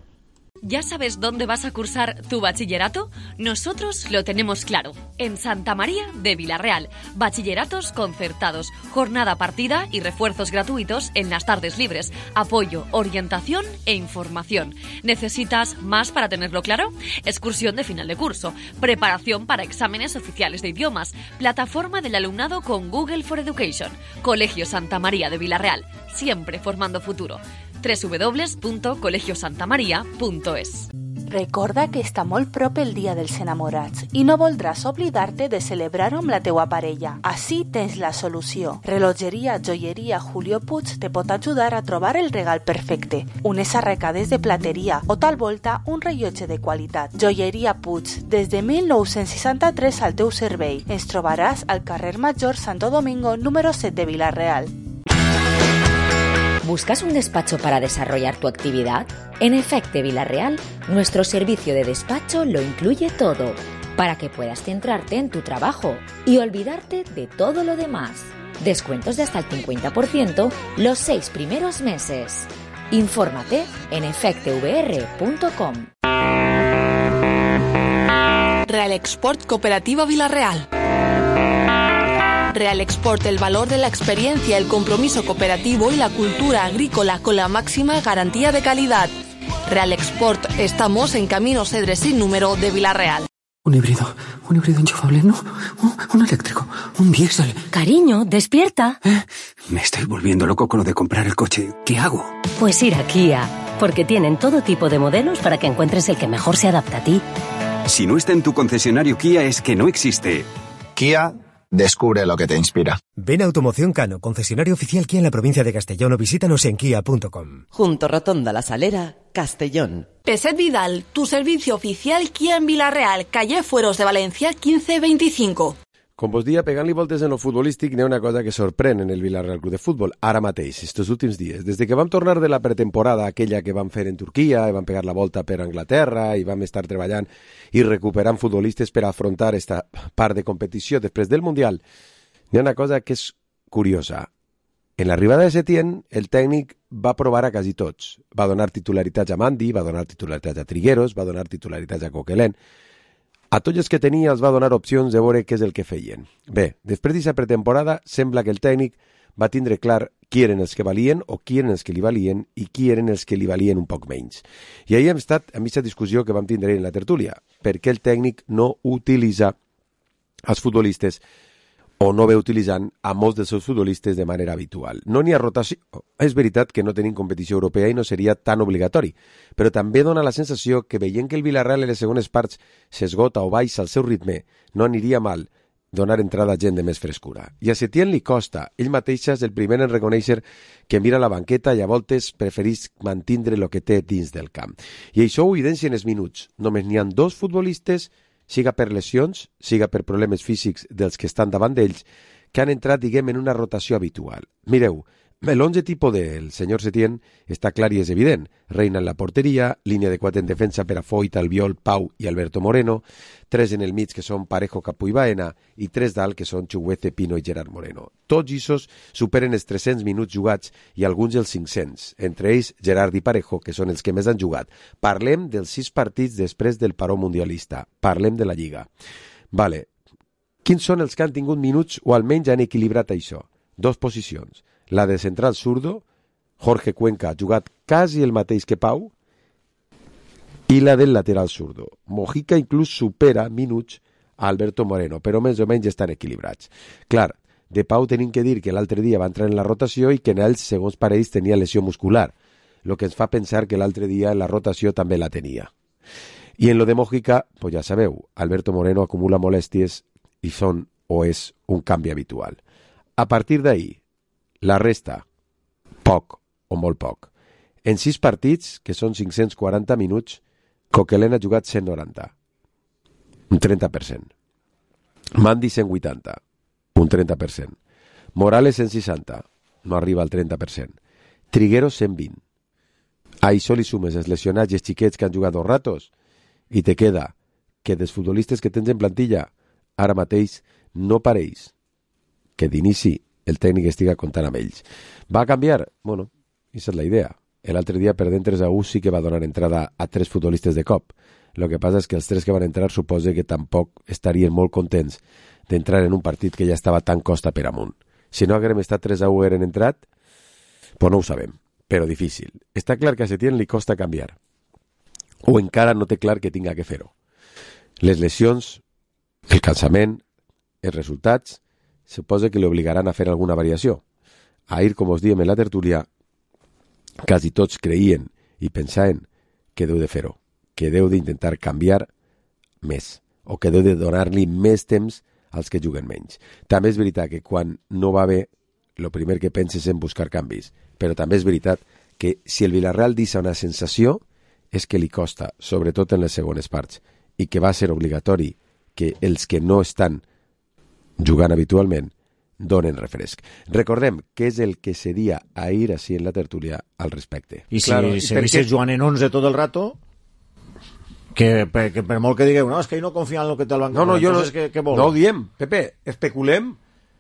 ¿Ya sabes dónde vas a cursar tu bachillerato? Nosotros lo tenemos claro. En Santa María de Vilarreal. Bachilleratos concertados, jornada partida y refuerzos gratuitos en las tardes libres. Apoyo, orientación e información. ¿Necesitas más para tenerlo claro? Excursión de final de curso. Preparación para exámenes oficiales de idiomas. Plataforma del alumnado con Google for Education. Colegio Santa María de Vilarreal. Siempre formando futuro. www.colegiosantamaria.es. Recorda que està molt prop el dia dels enamorats i no voldràs oblidar-te de celebrar-ho amb la teua parella. Així tens la solució. Relojeria Joieria Julio Puig te pot ajudar a trobar el regal perfecte. Unes arracades de plateria o tal volta un rellotge de qualitat. Joieria Puig, des de 1963 al teu servei. Ens trobaràs al carrer Major Santo Domingo número 7 de Vilarreal. ¿Buscas un despacho para desarrollar tu actividad? En Efecte Vilarreal, nuestro servicio de despacho lo incluye todo, para que puedas centrarte en tu trabajo y olvidarte de todo lo demás. Descuentos de hasta el 50% los 6 primeros meses. Infórmate en efectevr.com. Real Export Cooperativa Vilarreal. Real Export, el valor de la experiencia, el compromiso cooperativo y la cultura agrícola con la máxima garantía de calidad. Real Export, estamos en Camino Cedres sin número de Vilarreal. Un híbrido enchufable, no, un eléctrico, un diésel. Cariño, despierta. Me estoy volviendo loco con lo de comprar el coche. ¿Qué hago? Pues ir a Kia, porque tienen todo tipo de modelos para que encuentres el que mejor se adapta a ti. Si no está en tu concesionario Kia es que no existe. Kia, descubre lo que te inspira. Ven a Automoción Cano, concesionario oficial Kia en la provincia de Castellón, o visítanos en kia.com. Junto Rotonda La Salera, Castellón. Peset Vidal, tu servicio oficial Kia en Vilarreal, calle Fueros de Valencia 1525. Com vos dia, pegant-li voltes en lo futbolístic, n'hi ha una cosa que sorprèn en el Vilarreal Club de Futbol, ara mateix, estos últims dies. Des que vam tornar de la pretemporada, aquella que vam fer en Turquia, i vam pegar la volta per Anglaterra, i vam estar treballant i recuperant futbolistes per afrontar esta part de competició després del Mundial, n'hi ha una cosa que és curiosa. En l'arribada de Setién, el tècnic va provar a quasi tots. Va donar titularitats a Mandi, va donar titularitats a Trigueros, va donar titularitats a Coquelin. A tots els que tenia els va donar opcions de veure què és el que feien. Bé, després d'aquesta pretemporada, sembla que el tècnic va tindre clar qui eren els que valien o qui eren els que li valien i qui eren els que li valien un poc menys. I ahir hem estat amb aquesta discussió que vam tindre en la tertúlia. Per què el tècnic no utilitza els futbolistes o no ve utilitzant a molts dels seus futbolistes de manera habitual. No n'hi ha rotació. És veritat que no tenim competició europea i no seria tan obligatori, però també dona la sensació que veient que el Villarreal en les segones parts s'esgota o baixa el seu ritme, no aniria mal donar entrada a gent de més frescura. I a Setién li costa. Ell mateix és el primer en reconèixer que mira la banqueta i a voltes preferís mantindre el que té dins del camp. I això ho evidencien els minuts. Només n'hi ha 2 futbolistes, siga per lesions, siga per problemes físics dels que estan davant d'ells, que han entrat, diguem, en una rotació habitual. Mireu, l'11 tipus del senyor Setién està clar i és evident. Reina en la porteria, línia de 4 en defensa per a Foyt, Albiol, Pau i Alberto Moreno, 3 en el mig que són Parejo, Capú i Baena i 3 dalt que són Chuguece, Pino i Gerard Moreno. Tots aquests superen els 300 minuts jugats i alguns els 500, entre ells Gerard i Parejo, que són els que més han jugat. Parlem dels 6 partits després del paró mundialista. Parlem de la Lliga. Vale. Quins són els que han tingut minuts o almenys han equilibrat això? 2 posicions. La de central zurdo, Jorge Cuenca ha jugat quasi el mateix que Pau, i la del lateral zurdo. Mojica inclús supera minuts a Alberto Moreno, però més o menys estan equilibrats. Clar, de Pau tenim que dir que l'altre dia va entrar en la rotació i que en ells, segons pareix, tenia lesió muscular, el que ens fa pensar que l'altre dia en la rotació també la tenia. I en lo de Mojica, pues ja sabeu, Alberto Moreno acumula molèsties i són o és un canvi habitual. A partir d'ahir, la resta, poc o molt poc. En 6 partits, que són 540 minuts, Coquelin ha jugat 190, un 30%. Mandi 180, un 30%. Morales 160, no arriba al 30%. Trigueros 120. A això li sumes els lesionats i els xiquets que han jugat 2 ratos i te queda que dels futbolistes que tens en plantilla ara mateix no pareix que d'inici el tècnic estiga comptant amb ells. Va canviar? Bueno, aquesta és la idea. L'altre dia, perdent 3-1, sí que va donar entrada a 3 futbolistes de cop. El que passa és que els 3 que van entrar suposa que tampoc estarien molt contents d'entrar en un partit que ja estava tan costa per amunt. Si no haguem estat 3-1 eren entrat, pues no ho sabem, però difícil. Està clar que a Setién li costa canviar. O encara no té clar que tinga que fer-ho. Les lesions, el cansament, els resultats, suposa que li obligaran a fer alguna variació. Ahir, com us diem en la tertúlia, quasi tots creien i pensaven que deu de fer-ho, que deu d'intentar canviar més, o que deu de donar-li més temps als que juguen menys. També és veritat que quan no va bé, el primer que penses en buscar canvis, però també és veritat que si el Villarreal deixa una sensació és que li costa, sobretot en les segones parts, i que va ser obligatori que els que no estan jugant habitualment donen refresc. Recordem que és el que seria ahir així en la tertúlia al respecte. I si seguissis jugant en 11 tot el rato, que per molt que digueu, no, és que ell no confia en el que té el banc. No, jo no ho diem, Pepe, especulem.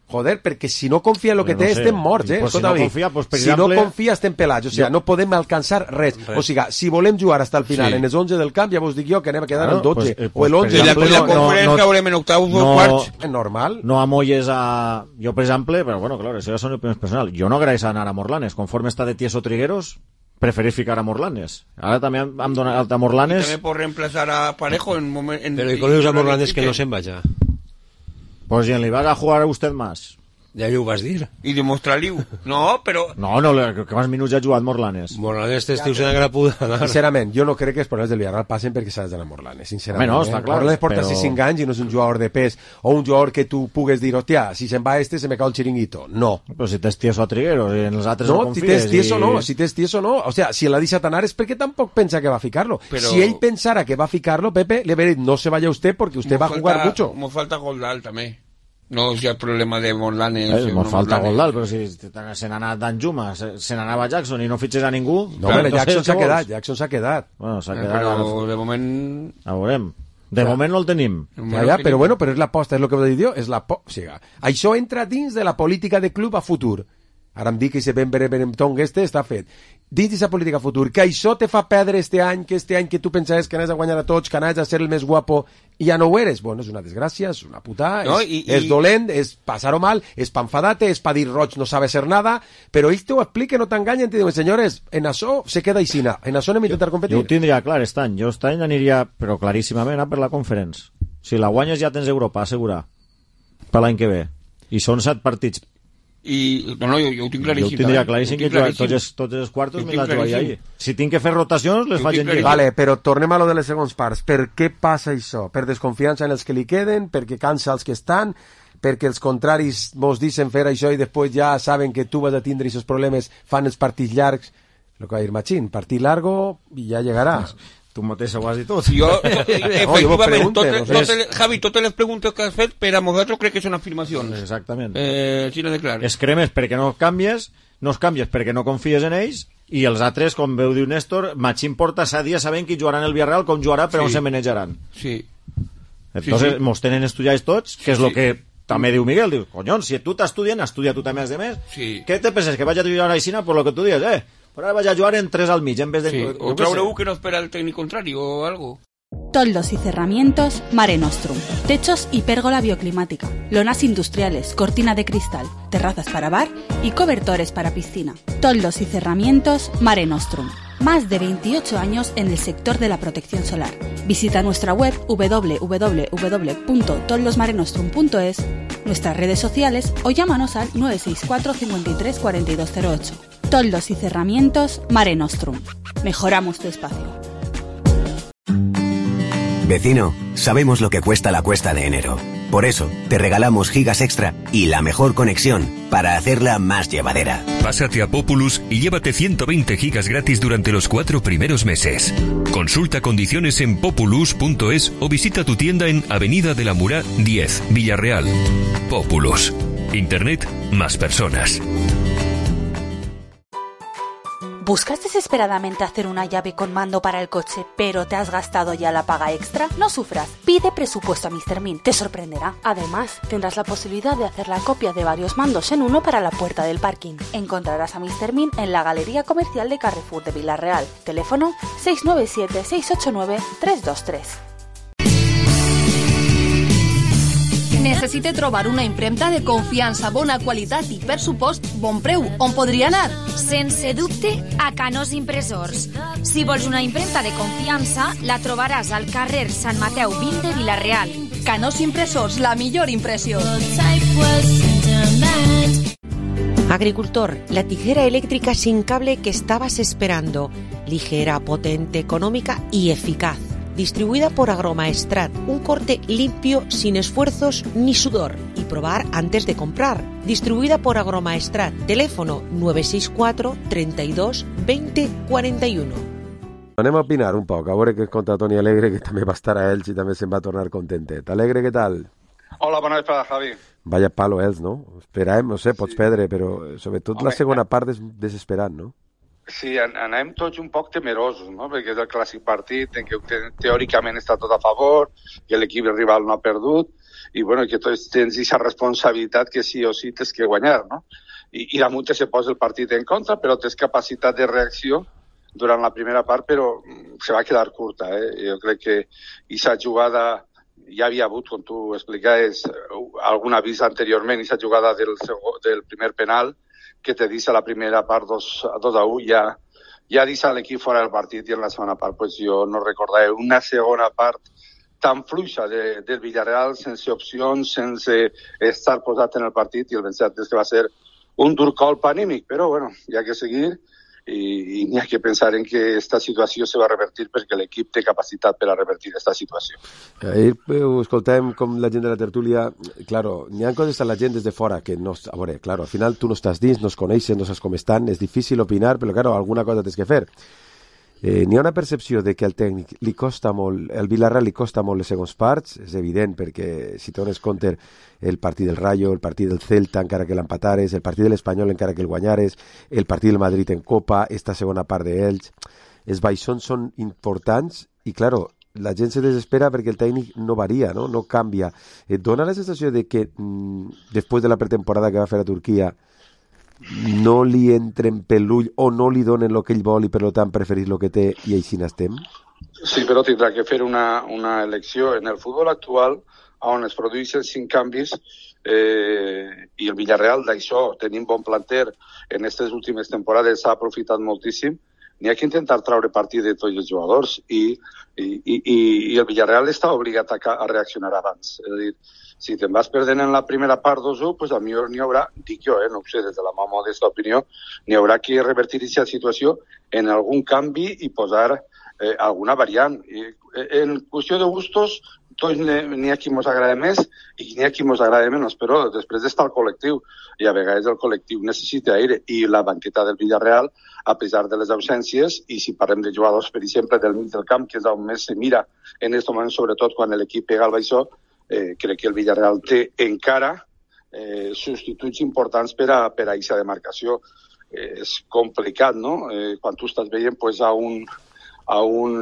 Joder, perquè si no confia en el que té, estem morts, pues si no confia, pues, si no confia, estem pelats. O sigui, no podem alcançar res. O sigui, si volem jugar fins al final en els 11 del camp, ja vos dic jo que anem a quedar en 12. O el 11. La conferència haurem en octaus o quarts. Normal. No amolles a... Jo, per exemple, però bueno, clar, això ja són opinions personals. Jo no agraeix anar a Morlanes. Conforme està de Tieso Trigueros, preferís ficar a Morlanes. Ara també hem donat a Morlanes... I també pot reemplazar a Parejo en moment... Pero ¿y con a Morlanes que no se'n vaya? Pues si en li va a jugar a usted más. Ja ho vas dir. I demostrar-li-ho. No, però... No, que més minuts ha jugat Morlanes. Morlanes t'estiu sent agradada. Sincerament, jo no crec que els problemes del Villarreal passen perquè s'ha d'anar a Morlanes, sincerament. No, està clar. Morlanes porta 5 anys i no és un jugador de pes o un jugador que tu pugues dir, hòstia, si se'n va se me cau el chiringuito. No. Però si tens Tieso a Trigueros i en els altres no confies... No, si tens Tieso no. O sea, si l'ha deixat anar és perquè tampoc pensa que va a ficarlo. Pero... Si ell pensara que va a ficarlo, Pepe, le veré, no se vaya usted porque usted va a jugar mucho. Mo falta Goldal també. No és el problema de Morlanes. Mos falta Goldal, però si se n'ha anat Danjuma, se n'anava Jackson i no fitxes a ningú... No, però Jackson s'ha quedat. Bueno, s'ha quedat... Però de moment... A veurem. De moment no el tenim. Ja, però bueno, però és l'aposta, és el que vos dic jo, és o sigui, això entra dins de la política de club a futur. Ara em dic que si Ben Beremtong està fet. Dins d'aquesta política futur, que això te fa perdre este any que tu pensaves que anaves a guanyar a tots, que anaves a ser el més guapo, i ja no ho eres. Bueno, és una desgràcia, és una putada, no, és dolent, és passar-ho mal, és pa enfadar-te, és pa dir roig no sabe ser nada, però ells t'ho expliquen, no t'enganyen, te diuen, senyores, en això se queda aixina, en això anem a intentar competir. Jo ho tindria clar, jo aquest any aniria, però claríssimament, a per la Conference. Si la guanyes ja tens Europa, assegurar, per l'any que ve. I són 7 partits. No, jo ho tinc claríssim. Jo ho tindria claríssim que tots els quartos me la jugaria ahir. Si tinc que fer rotacions, les faig en lliga. Vale, però tornem a lo de les segons parts. Per què passa això? Per desconfiança en els que li queden? Perquè cansa els que estan? Perquè els contraris mos deixen fer això i després ja saben que tu vas a tindre aquests problemes, fan els partits llargs? Lo que va dir Machín, partit largo i ja llegarà. Tu mateix ho has dit tot. Efectivament, Javi, totes les preguntes que has fet per a nosaltres crec que són afirmacions. Exactament. Sí, no declares. Es cremes perquè no canvies perquè no confies en ells, i els altres, com veu diu Néstor, Machín porta 7 dies sabent qui jugarà en el Villarreal, com jugarà, però on se manejaran. Sí. Entonces, mos tenen estudiats tots, que és el que també diu Miguel, diu, conyón, si tu t'estudien, estudia tu també els demés. Què te penses, que vaig a jugar a Aixina per lo que tu dius, Però ara vaig a jugar en 3 al mig en vez de... Sí. O traure que no espera el técnico contrario o algo. Toldos y cerramientos Mare Nostrum. Techos y pérgola bioclimática. Lonas industriales, cortina de cristal, terrazas para bar y cobertores para piscina. Toldos y cerramientos Mare Nostrum. Más de 28 años en el sector de la protección solar. Visita nuestra web www.toldosmarenostrum.es, nuestras redes sociales o llámanos al 964 53 4208. Toldos y cerramientos Mare Nostrum. Mejoramos tu espacio. Vecino, sabemos lo que cuesta la cuesta de enero. Por eso, te regalamos gigas extra y la mejor conexión para hacerla más llevadera. Pásate a Populus y llévate 120 gigas gratis durante los 4 primeros meses. Consulta condiciones en populus.es o visita tu tienda en Avenida de la Murá 10, Villarreal. Populus. Internet más personas. ¿Buscas desesperadamente hacer una llave con mando para el coche, pero te has gastado ya la paga extra? No sufras, pide presupuesto a Mr. Min, te sorprenderá. Además, tendrás la posibilidad de hacer la copia de varios mandos en uno para la puerta del parking. Encontrarás a Mr. Min en la Galería Comercial de Carrefour de Villarreal. Teléfono 697-689-323. Necessite trobar una impremta de confiança, bona qualitat i, per supost, bon preu. On podria anar? Sense dubte, a Canós Impressors. Si vols una impremta de confiança, la trobaràs al carrer Sant Mateu 20 de Vila-real. Canós Impressors, la millor impressió. Agricultor, la tijera eléctrica sin cable que estabas esperando. Ligera, potente, económica y eficaz. Distribuida por Agromaestrat, un corte limpio, sin esfuerzos ni sudor. Y probar antes de comprar. Distribuida por Agromaestrat. Teléfono 964 32 20 41. Anem a opinar un poc, a veure què conta Toni Alegre, que també va estar a Elx i també se'n va tornar contentet. Alegre, què tal? Hola, bona vesprada, Javi. Vaya palo, Elx, no? Esperàvem, no sé, pots perdre, però sobretot la segona part desesperant, no? Sí, anem tots un poc temerosos, no? Perquè és el clàssic partit en què teòricament està tot a favor, que l'equip rival no ha perdut, i bueno, que tots tens aquesta responsabilitat que sí o sí tens que guanyar, no? I damunt se posa el partit en contra, però tens capacitat de reacció durant la primera part, però se va quedar curta, Jo crec que aquesta jugada ja havia hagut, com tu explicaves, algun avís anteriorment, aquesta jugada del primer penal, que te dice a la primera part 2-1, ja deixa l'equip fora del partit, i en la segona part pues jo no recordava una segona part tan fluixa del Villarreal, sense opcions, sense estar posat en el partit, i el vencet és que va ser un dur colp anímic, però bueno, hi ha que seguir i n'hi ha que pensar en que aquesta situació se va revertir perquè l'equip té capacitat per a revertir aquesta situació. Ahir ho escoltàvem com la gent de la tertúlia, claro, n'hi ha coses a la gent des de fora que no... A veure, claro, al final tu no estàs dins, no es coneixes, no saps com estan, és difícil opinar, però claro, alguna cosa tens que fer. N'hi ha una percepció de que al tècnic li costa molt, el Villarreal li costa molt les segons parts, és evident, perquè si dones compte el partit del Rayo, el partit del Celta encara que l'empatares, el partit de l'Espanyol encara que el guanyares, el partit del Madrid en Copa, esta segona part d'Elx, els baixons són importants i, claro, la gent se desespera perquè el tècnic no varia, no canvia. Et dona la sensació de que després de la pretemporada que va fer a Turquia no li entren per l'ull o no li donen el que ell vol i per tant preferís el que té i així n'estem? Sí, però tindrà que fer una elecció. En el futbol actual, on es produeixen 5 canvis, i el Villarreal d'això, tenim bon planter en aquestes últimes temporades, s'ha aprofitat moltíssim, n'hi ha que intentar treure partit de tots els jugadors i el Villarreal està obligat a reaccionar abans. És a dir, si te'n vas perdent en la primera part 2-1, pues a millor n'hi haurà, dic jo, no ho sé, des de la meva modesta opinió, n'hi haurà que revertir aquesta situació en algun canvi i posar alguna variant. En qüestió de gustos, tots n'hi ha qui mos agrada més i n'hi ha qui mos agrada menys, però després està el col·lectiu, i a vegades el col·lectiu necessita aire, i la banqueta del Villarreal, a pesar de les ausències, i si parlem de jugadors, per exemple, del mig del camp, que és on més se mira en aquest moment, sobretot quan l'equip pega el baixó, crec que el Villarreal té encara substituts importants per a aquesta demarcació. És complicat, no? Quan tu estàs veient pues, a un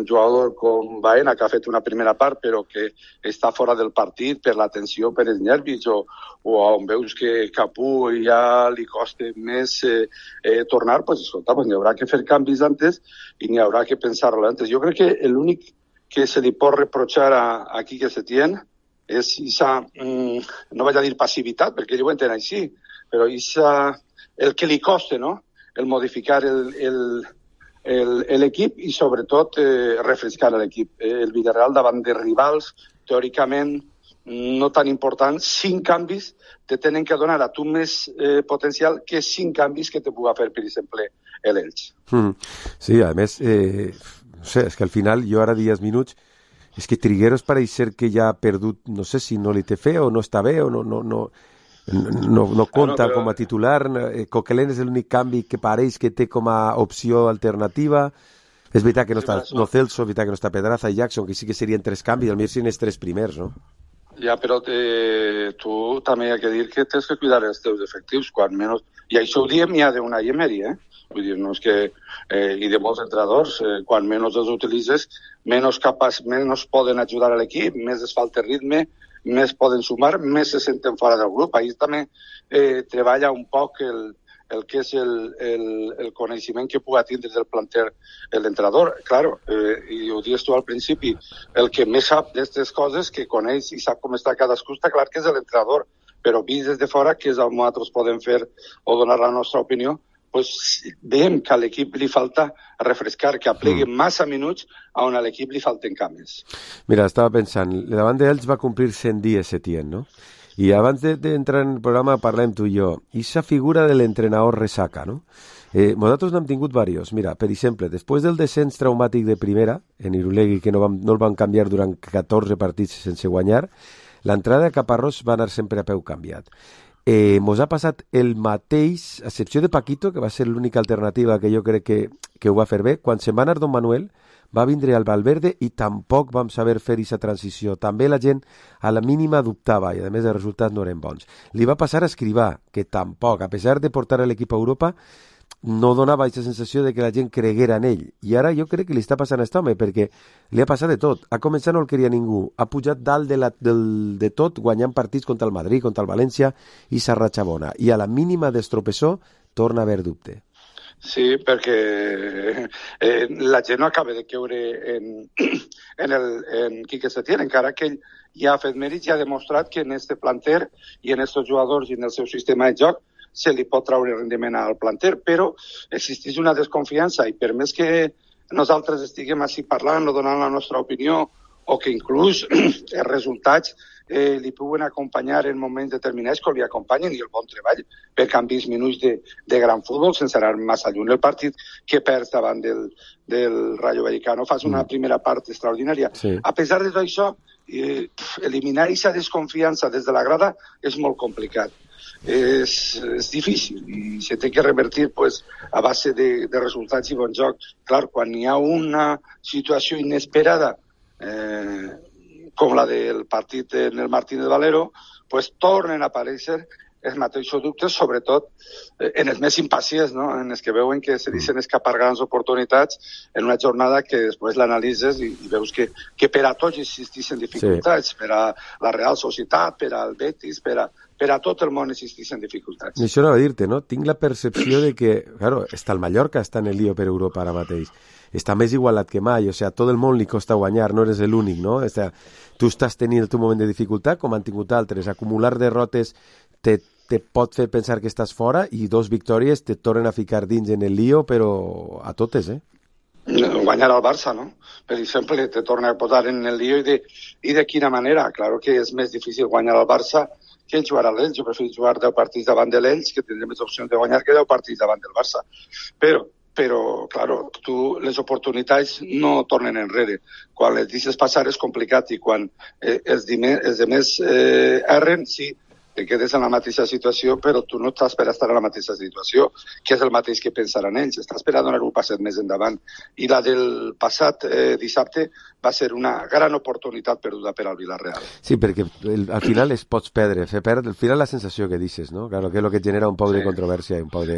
jugador com Baena, que ha fet una primera part, però que està fora del partit per la tensió, per els nervis, o on veus que Capú ja li costa més tornar, pues, escolta, pues, n'hi haurà que fer canvis antes i n'hi haurà que pensar-lo antes. Jo crec que l'únic que se li pot reprochar a Quique Setién és esa, no vaig a dir passivitat, perquè ell ho entén així, però el que li costa, no?, el modificar l'equip i sobretot refrescar l'equip. El Villarreal davant de rivals teòricament no tan importants, 5 canvis te tenen que donar a tu més potencial que 5 canvis que te puga fer, per exemple, l'Elx. Sí, a més, no sé, és que al final jo ara 10 minuts és que Trigueros pareix ser que ja ha perdut, no sé si no li té fe o no està bé o no compta com a titular. Coquelin és l'únic canvi que pareix que té com a opció alternativa. És veritat que no està Celso, és veritat que no està Pedraza i Jackson, que sí que serien 3 canvis, al millor serien els 3 primers, no? Ja, però tu també hi ha que dir que tens que cuidar els teus efectius, quan menys... I això ho diem ja d'una Emery, Vull dir, no és que... I de molts entrenadors, quan menys els utilitzes, menys poden ajudar a l'equip, més es falta ritme, més poden sumar, més se senten fora del grup. Ahir també treballa un poc el que és el coneixement que pugui tindre del planter l'entrenador. Claro, i ho dius tu al principi, el que més sap d'aquestes coses, que coneix i sap com està cadascú, està clar que és l'entrenador, però vist des de fora, que és el que nosaltres podem fer o donar la nostra opinió, pues veiem que a l'equip li falta refrescar, que aplegui massa minuts on a l'equip li falten canvis. Mira, estava pensant, davant d'ells va complir 100 dies Setién, no? I abans d'entrar en el programa parlem tu i jo. I esa figura de l'entrenador resaca, no? Nosaltres n'hem tingut diversos. Mira, per exemple, després del descens traumàtic de primera, en Irulegui, que no el van canviar durant 14 partits sense guanyar, l'entrada de Caparrós va anar sempre a peu canviat. Mos ha passat el mateix, a excepció de Paquito, que va ser l'única alternativa que jo crec que ho va fer bé. Quan se'n va anar Don Manuel, va vindre al Valverde i tampoc vam saber fer aquesta transició. També la gent a la mínima dubtava i a més els resultats no eren bons. Li va passar a Escrivà, que tampoc, a pesar de portar l'equip a Europa, no donava aquesta sensació de que la gent creguera en ell. I ara jo crec que li està passant a aquest home, perquè li ha passat de tot. A començar no el queria ningú. Ha pujat dalt de tot, guanyant partits contra el Madrid, contra el València i s'ha ratxabona. I a la mínima d'estropessó torna a haver dubte. Sí, perquè la gent no acaba de creure en Quique Setién, encara que ell ja ha fet mèrits i ha demostrat que en este planter i en estos jugadors i en el seu sistema de joc se li pot treure rendiment al planter, però existeix una desconfiança i per més que nosaltres estiguem així parlant o donant la nostra opinió o que inclús els resultats li puguen acompanyar en moments determinats com li acompanyen i el bon treball per canvis minuts de gran futbol sense anar massa lluny. El partit que perds davant del Rayo Vallecano fas una primera part extraordinària. Sí. A pesar de tot això, eliminar aquesta desconfiança des de la grada és molt complicat. És difícil i se té que revertir pues, a base de resultats i bon joc. Clar, quan hi ha una situació inesperada com la del partit en el Martínez Valero, pues tornen a aparèixer els mateixos dubtes, sobretot en els més impacients, no? En els que veuen que se deixen escapar grans oportunitats en una jornada que després l'analitzes i veus que per a tots existeixen dificultats, sí. Per a la Real Societat, per al Betis, per a tot el món existeixen dificultats. I això anava a dir-te, no? Tinc la percepció de que, claro, està el Mallorca, està en el lío per Europa ara mateix. Està més igualat que mai, o sea, tot el món li costa guanyar, no eres l'únic, no? O sea, tu estàs tenint el teu moment de dificultat, com han tingut altres. Acumular derrotes te pot fer pensar que estàs fora i 2 victòries te tornen a ficar dins en el lío, però a totes, Guanyar al Barça, no? Per exemple, te torna a posar en el lío i de quina manera. Claro que és més difícil guanyar al Barça que jugar a l'Elx. Jo prefereixo jugar 10 partits davant de l'Elx, que tindré més opcions de guanyar que 10 partits davant del Barça. Però claro, les oportunitats no tornen enrere. Quan les deixes passar és complicat i quan els demés erren, sí, te quedes en la mateixa situació, però tu no estàs per estar en la mateixa situació, que és el mateix que pensaran ells. Estàs per a donar un passet més endavant. I la del passat dissabte va ser una gran oportunitat perduda per al Villarreal. Sí, perquè al final es pots perdre, fer perdre, al final la sensació que dices, ¿no? Claro, que és el que genera un poc de controvèrsia i un poc de...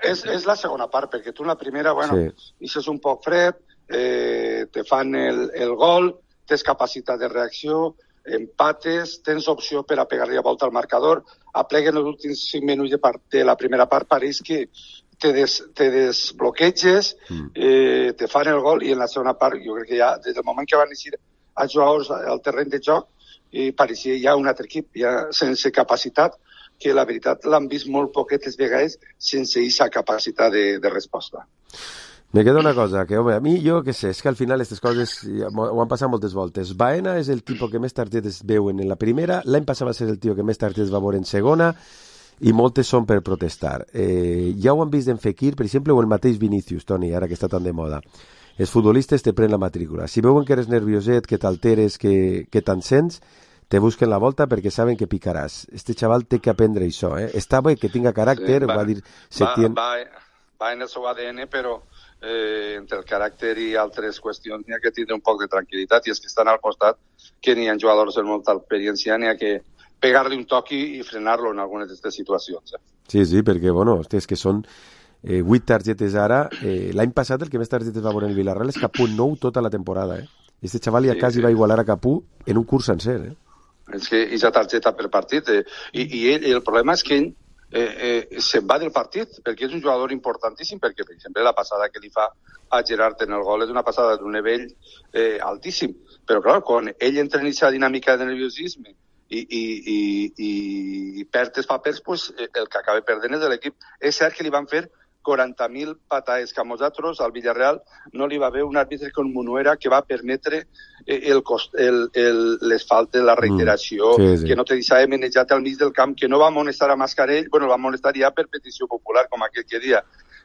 És la segona part, perquè tu en la primera, bueno, és un poc fred, te fan el gol, tens capacitat de reacció, empates, tens opció per a pegar-li a volta al marcador, apleguen els últims 5 minuts de la primera part, pareix que te desbloqueges, te fan el gol, i en la segona part, jo crec que ja, des del moment que van eixir els jugadors al terreny de joc, pareixia ja un altre equip, ja sense capacitat, que la veritat l'han vist molt poquetes vegades sense aquesta capacitat de resposta. Me queda una cosa, que home, a mi, jo què sé, és que al final aquestes coses ho han passat moltes voltes. Baena és el tipus que més targetes veuen en la primera, l'any passat va ser el tio que més targetes va veure en segona, i moltes són per protestar. Ja ho han vist en Fekir, per exemple, o el mateix Vinícius, Toni, ara que està tan de moda. Els futbolistes te pren la matrícula. Si veuen que eres nervioset, que t'alteres, que t'encens, te busquen la volta perquè saben que picaràs. Este xaval té que aprendre això, Està bé que tinga caràcter, va dir Setién. Va en el seu ADN, però entre el caràcter i altres qüestions n'hi ha que tindre un poc de tranquil·litat, i és que estan al costat, que n'hi ha jugadors amb molta experiència, n'hi ha que pegar-li un toc i frenar-lo en algunes d'aquestes situacions. Sí, perquè, bueno, és que són 8 targetes ara. L'any passat el que més targetes va veure en el Villarreal és Capú 9 tota la temporada. Este xaval ja quasi va igualar a Capú en un curs sencer. És que és la targeta per partit. I el problema és que ell se'n va del partit, perquè és un jugador importantíssim, perquè, per exemple, la passada que li fa a Gerard en el gol és una passada d'un nivell altíssim. Però, clar, quan ell entra en aquesta dinàmica de nerviosisme i perd els papers, pues, el que acaba perdent és l'equip. És cert que li van fer 40.000 patades que a nosaltres, al Villarreal, no li va haver un àrbitre com Munuera que va permetre les faltes, la reiteració, que no te deixava menejat al mig del camp, que no va amonestar a Mascarell, bueno, va amonestar ja per petició popular, com aquell que dia,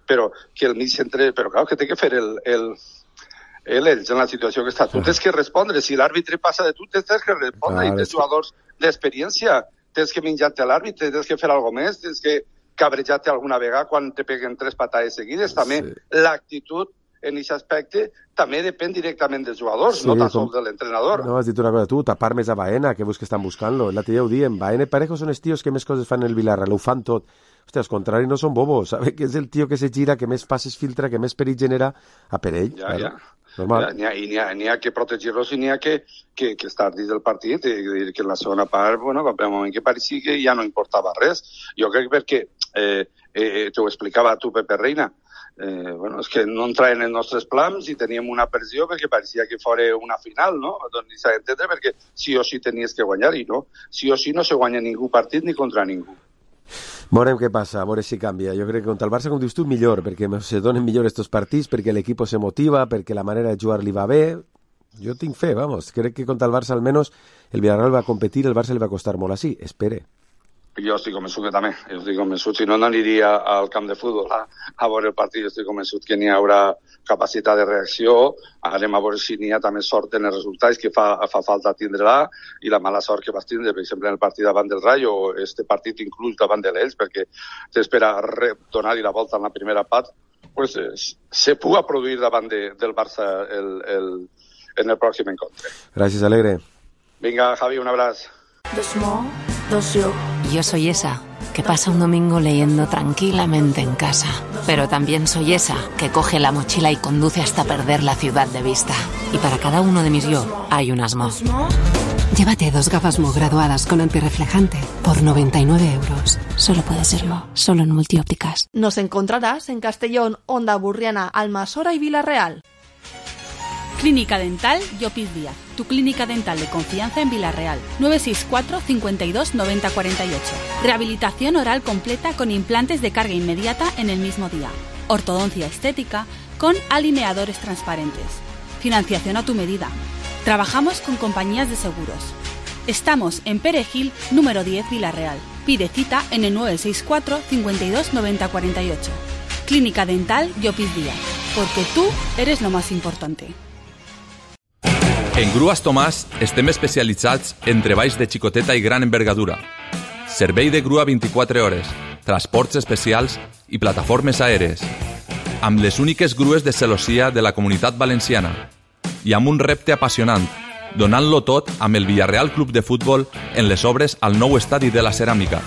però que el mig centre, però clar, que té que fer ells en la situació que està. Tu tens que respondre, si l'àrbitre passa de tu, tens que respondre, i tens jugadors d'experiència, tens que menjar-te a l'àrbitre, tens que fer alguna més, tens que cabrejar-te alguna vegada quan te peguen 3 patades seguides. També l'actitud en aquest aspecte també depèn directament dels jugadors, no tan sols de l'entrenador. No, has dit una cosa, tu, tapar més a Baena, que busques estan buscant-lo. L'altre dia ho diem, Baena i Parejo són els tios que més coses fan en el Villarreal, ho fan tot. Hòstia, als contrari no són bobos, sabe que és el tio que se gira, que més passes filtra, que més perill genera a per ell. Ja. Normal. N'hi ha que protegir-los i n'hi ha que estar dins del partit, i que en la segona part, bueno, va haver un moment que pareixia que ja no importava res. Jo crec perquè, t'ho explicava tu, Pepe Reina, bueno, és que no entraven en els nostres plans i teníem una pressió perquè pareixia que fora una final, no? Doncs s'ha d'entendre perquè sí o sí tenies que guanyar, i no, sí o sí no se guanya ningú partit ni contra ningú. Veurem què passa, a veure si canvia. Jo crec que contra el Barça, com dius tu, millor, perquè se donen millor estos partits, perquè l'equip se motiva, perquè la manera de jugar li va bé. Jo tinc fe, vamos. Crec que contra el Barça almenys el Villarreal va competir, el Barça li va costar molt així. Espere. Jo estic convençut que també. Jo estic convençut, si no aniria al camp de futbol a veure el partit. Jo estic convençut que n'hi haurà capacitat de reacció. Anem a veure si n'hi ha també sort en els resultats, que fa falta tindre-la, i la mala sort que vas tindre, per exemple, en el partit davant del Rayo, o este partit inclús davant de l'Elx, perquè t'espera donar-hi la volta en la primera part, pues se puga produir davant del Barça en el pròxim encontre. Gràcies, Alegre. Vinga, Javi, un abraç. Yo soy esa que pasa un domingo leyendo tranquilamente en casa, pero también soy esa que coge la mochila y conduce hasta perder la ciudad de vista. Y para cada uno de mis yo hay un Asmo. Llévate 2 gafas Mo graduadas con antirreflejante por 99 €. Solo puede serlo, solo en Multiópticas. Nos encontrarás en Castellón, Onda Burriana, Almasora y Villarreal. Clínica Dental Llopis Díaz, tu clínica dental de confianza en Villarreal. 964 52 90 48. Rehabilitación oral completa con implantes de carga inmediata en el mismo día. Ortodoncia estética, con alineadores transparentes. Financiación a tu medida. Trabajamos con compañías de seguros. Estamos en Perejil, número 10, Villarreal. Pide cita en el 964 52 90 48. Clínica Dental Llopis Díaz, porque tú eres lo más importante. En Grues Tomàs estem especialitzats en treballs de xicoteta i gran envergadura. Servei de grua 24 hores, transports especials i plataformes aèries. Amb les úniques grues de celossia de la Comunitat Valenciana. I amb un repte apassionant, donant-lo tot amb el Villarreal Club de Futbol en les obres al nou estadi de la Ceràmica.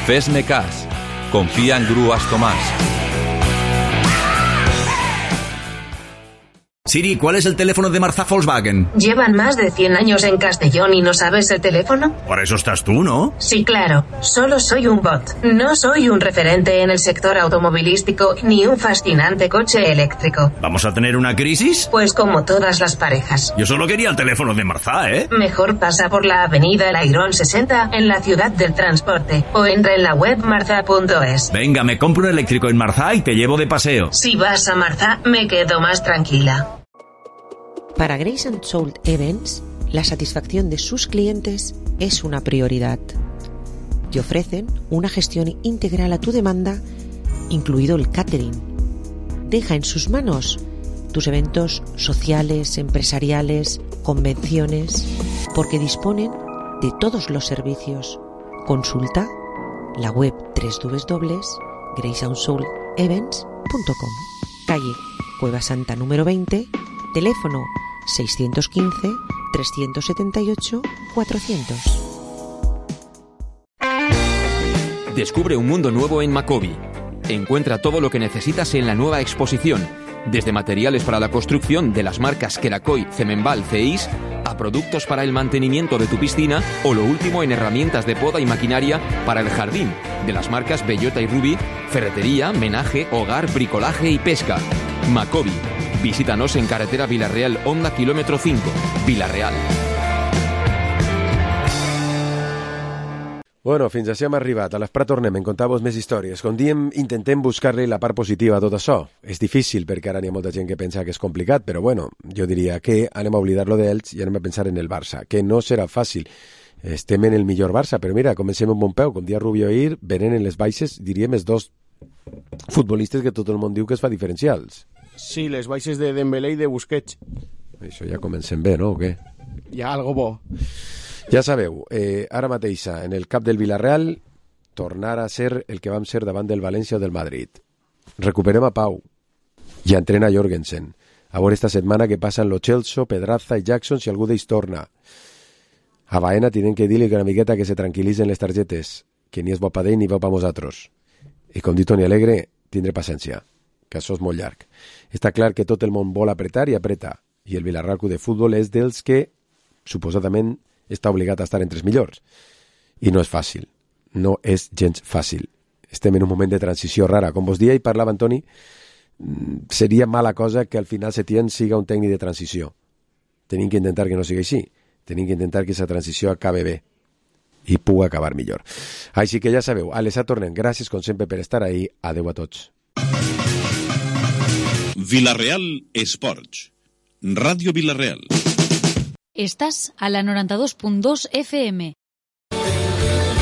Fes-ne cas. Confia en Grues Tomàs. Siri, ¿cuál es el teléfono de Marzá Volkswagen? ¿Llevan más de 100 años en Castellón y no sabes el teléfono? Para eso estás tú, ¿no? Sí, claro. Solo soy un bot. No soy un referente en el sector automovilístico ni un fascinante coche eléctrico. ¿Vamos a tener una crisis? Pues como todas las parejas. Yo solo quería el teléfono de Marzá, ¿eh? Mejor pasa por la avenida El Airón 60 en la ciudad del transporte o entra en la web marzá.es. Venga, me compro un eléctrico en Marzá y te llevo de paseo. Si vas a Marzá, me quedo más tranquila. Para Grace & Soul Events, la satisfacción de sus clientes es una prioridad. Y ofrecen una gestión integral a tu demanda, incluido el catering. Deja en sus manos tus eventos sociales, empresariales, convenciones, porque disponen de todos los servicios. Consulta la web www.graceandsoulevents.com. Calle Cueva Santa número 20, teléfono 615-378-400. Descubre un mundo nuevo en Macobi. Encuentra todo lo que necesitas en la nueva exposición, desde materiales para la construcción de las marcas Kerakoy, Cemenbal, CEIS, a productos para el mantenimiento de tu piscina o lo último en herramientas de poda y maquinaria para el jardín, de las marcas Bellota y Ruby, ferretería, menaje, hogar, bricolaje y pesca. Macobi. Visítanos en carretera Villarreal, Honda, kilómetro 5, Villarreal. Bueno, fins així hem arribat. A l'Esprat tornem, en contau-vos més històries. Com diem, intentem buscar-li la part positiva a tot això. És difícil perquè ara hi ha molta gent que pensa que és complicat, però bueno, jo diria que anem a oblidar-lo d'ells i anem a pensar en el Barça, que no serà fàcil. Estem en el millor Barça, però mira, comencem amb bon peu. Com dia Rubio ahir, venen en les baixes, diríem, els dos futbolistes que tot el món diu que es fa diferencials. Sí, les baixes de Dembélé i de Busquets. Això ja comencem bé, no? O què? Ja, algo bo. Ja sabeu, ara mateixa, en el cap del Villarreal, tornar a ser el que vam ser davant del València o del Madrid. Recuperem a Pau i entrena Jorgensen. A veure esta setmana que passen Lo Celso, Pedraza i Jackson si algú d'ells torna. A Baena tenen que dir-li una miqueta que se tranquil·litzen les targetes, que ni és bo pa d'ell ni bo pa nosaltres. I com dit Toni Alegre, tindré paciència, que això és molt llarg. Està clar que tot el món vol apretar i apreta, i el Villarreal Club de Futbol és dels que, suposadament, està obligat a estar entre els millors. I no és fàcil, no és gens fàcil. Estem en un moment de transició rara. Com vos dia i parlava Antoni, seria mala cosa que al final Setién siga un tècnic de transició. Tenim que intentar que no sigui així. Tenim que intentar que aquesta transició acabe bé i pugui acabar millor. Així que ja sabeu, a l'ESA tornem. Gràcies, com sempre, per estar ahí. Adeu a tots. Villarreal Esports. Radio Villarreal. Estás a la 92.2 FM.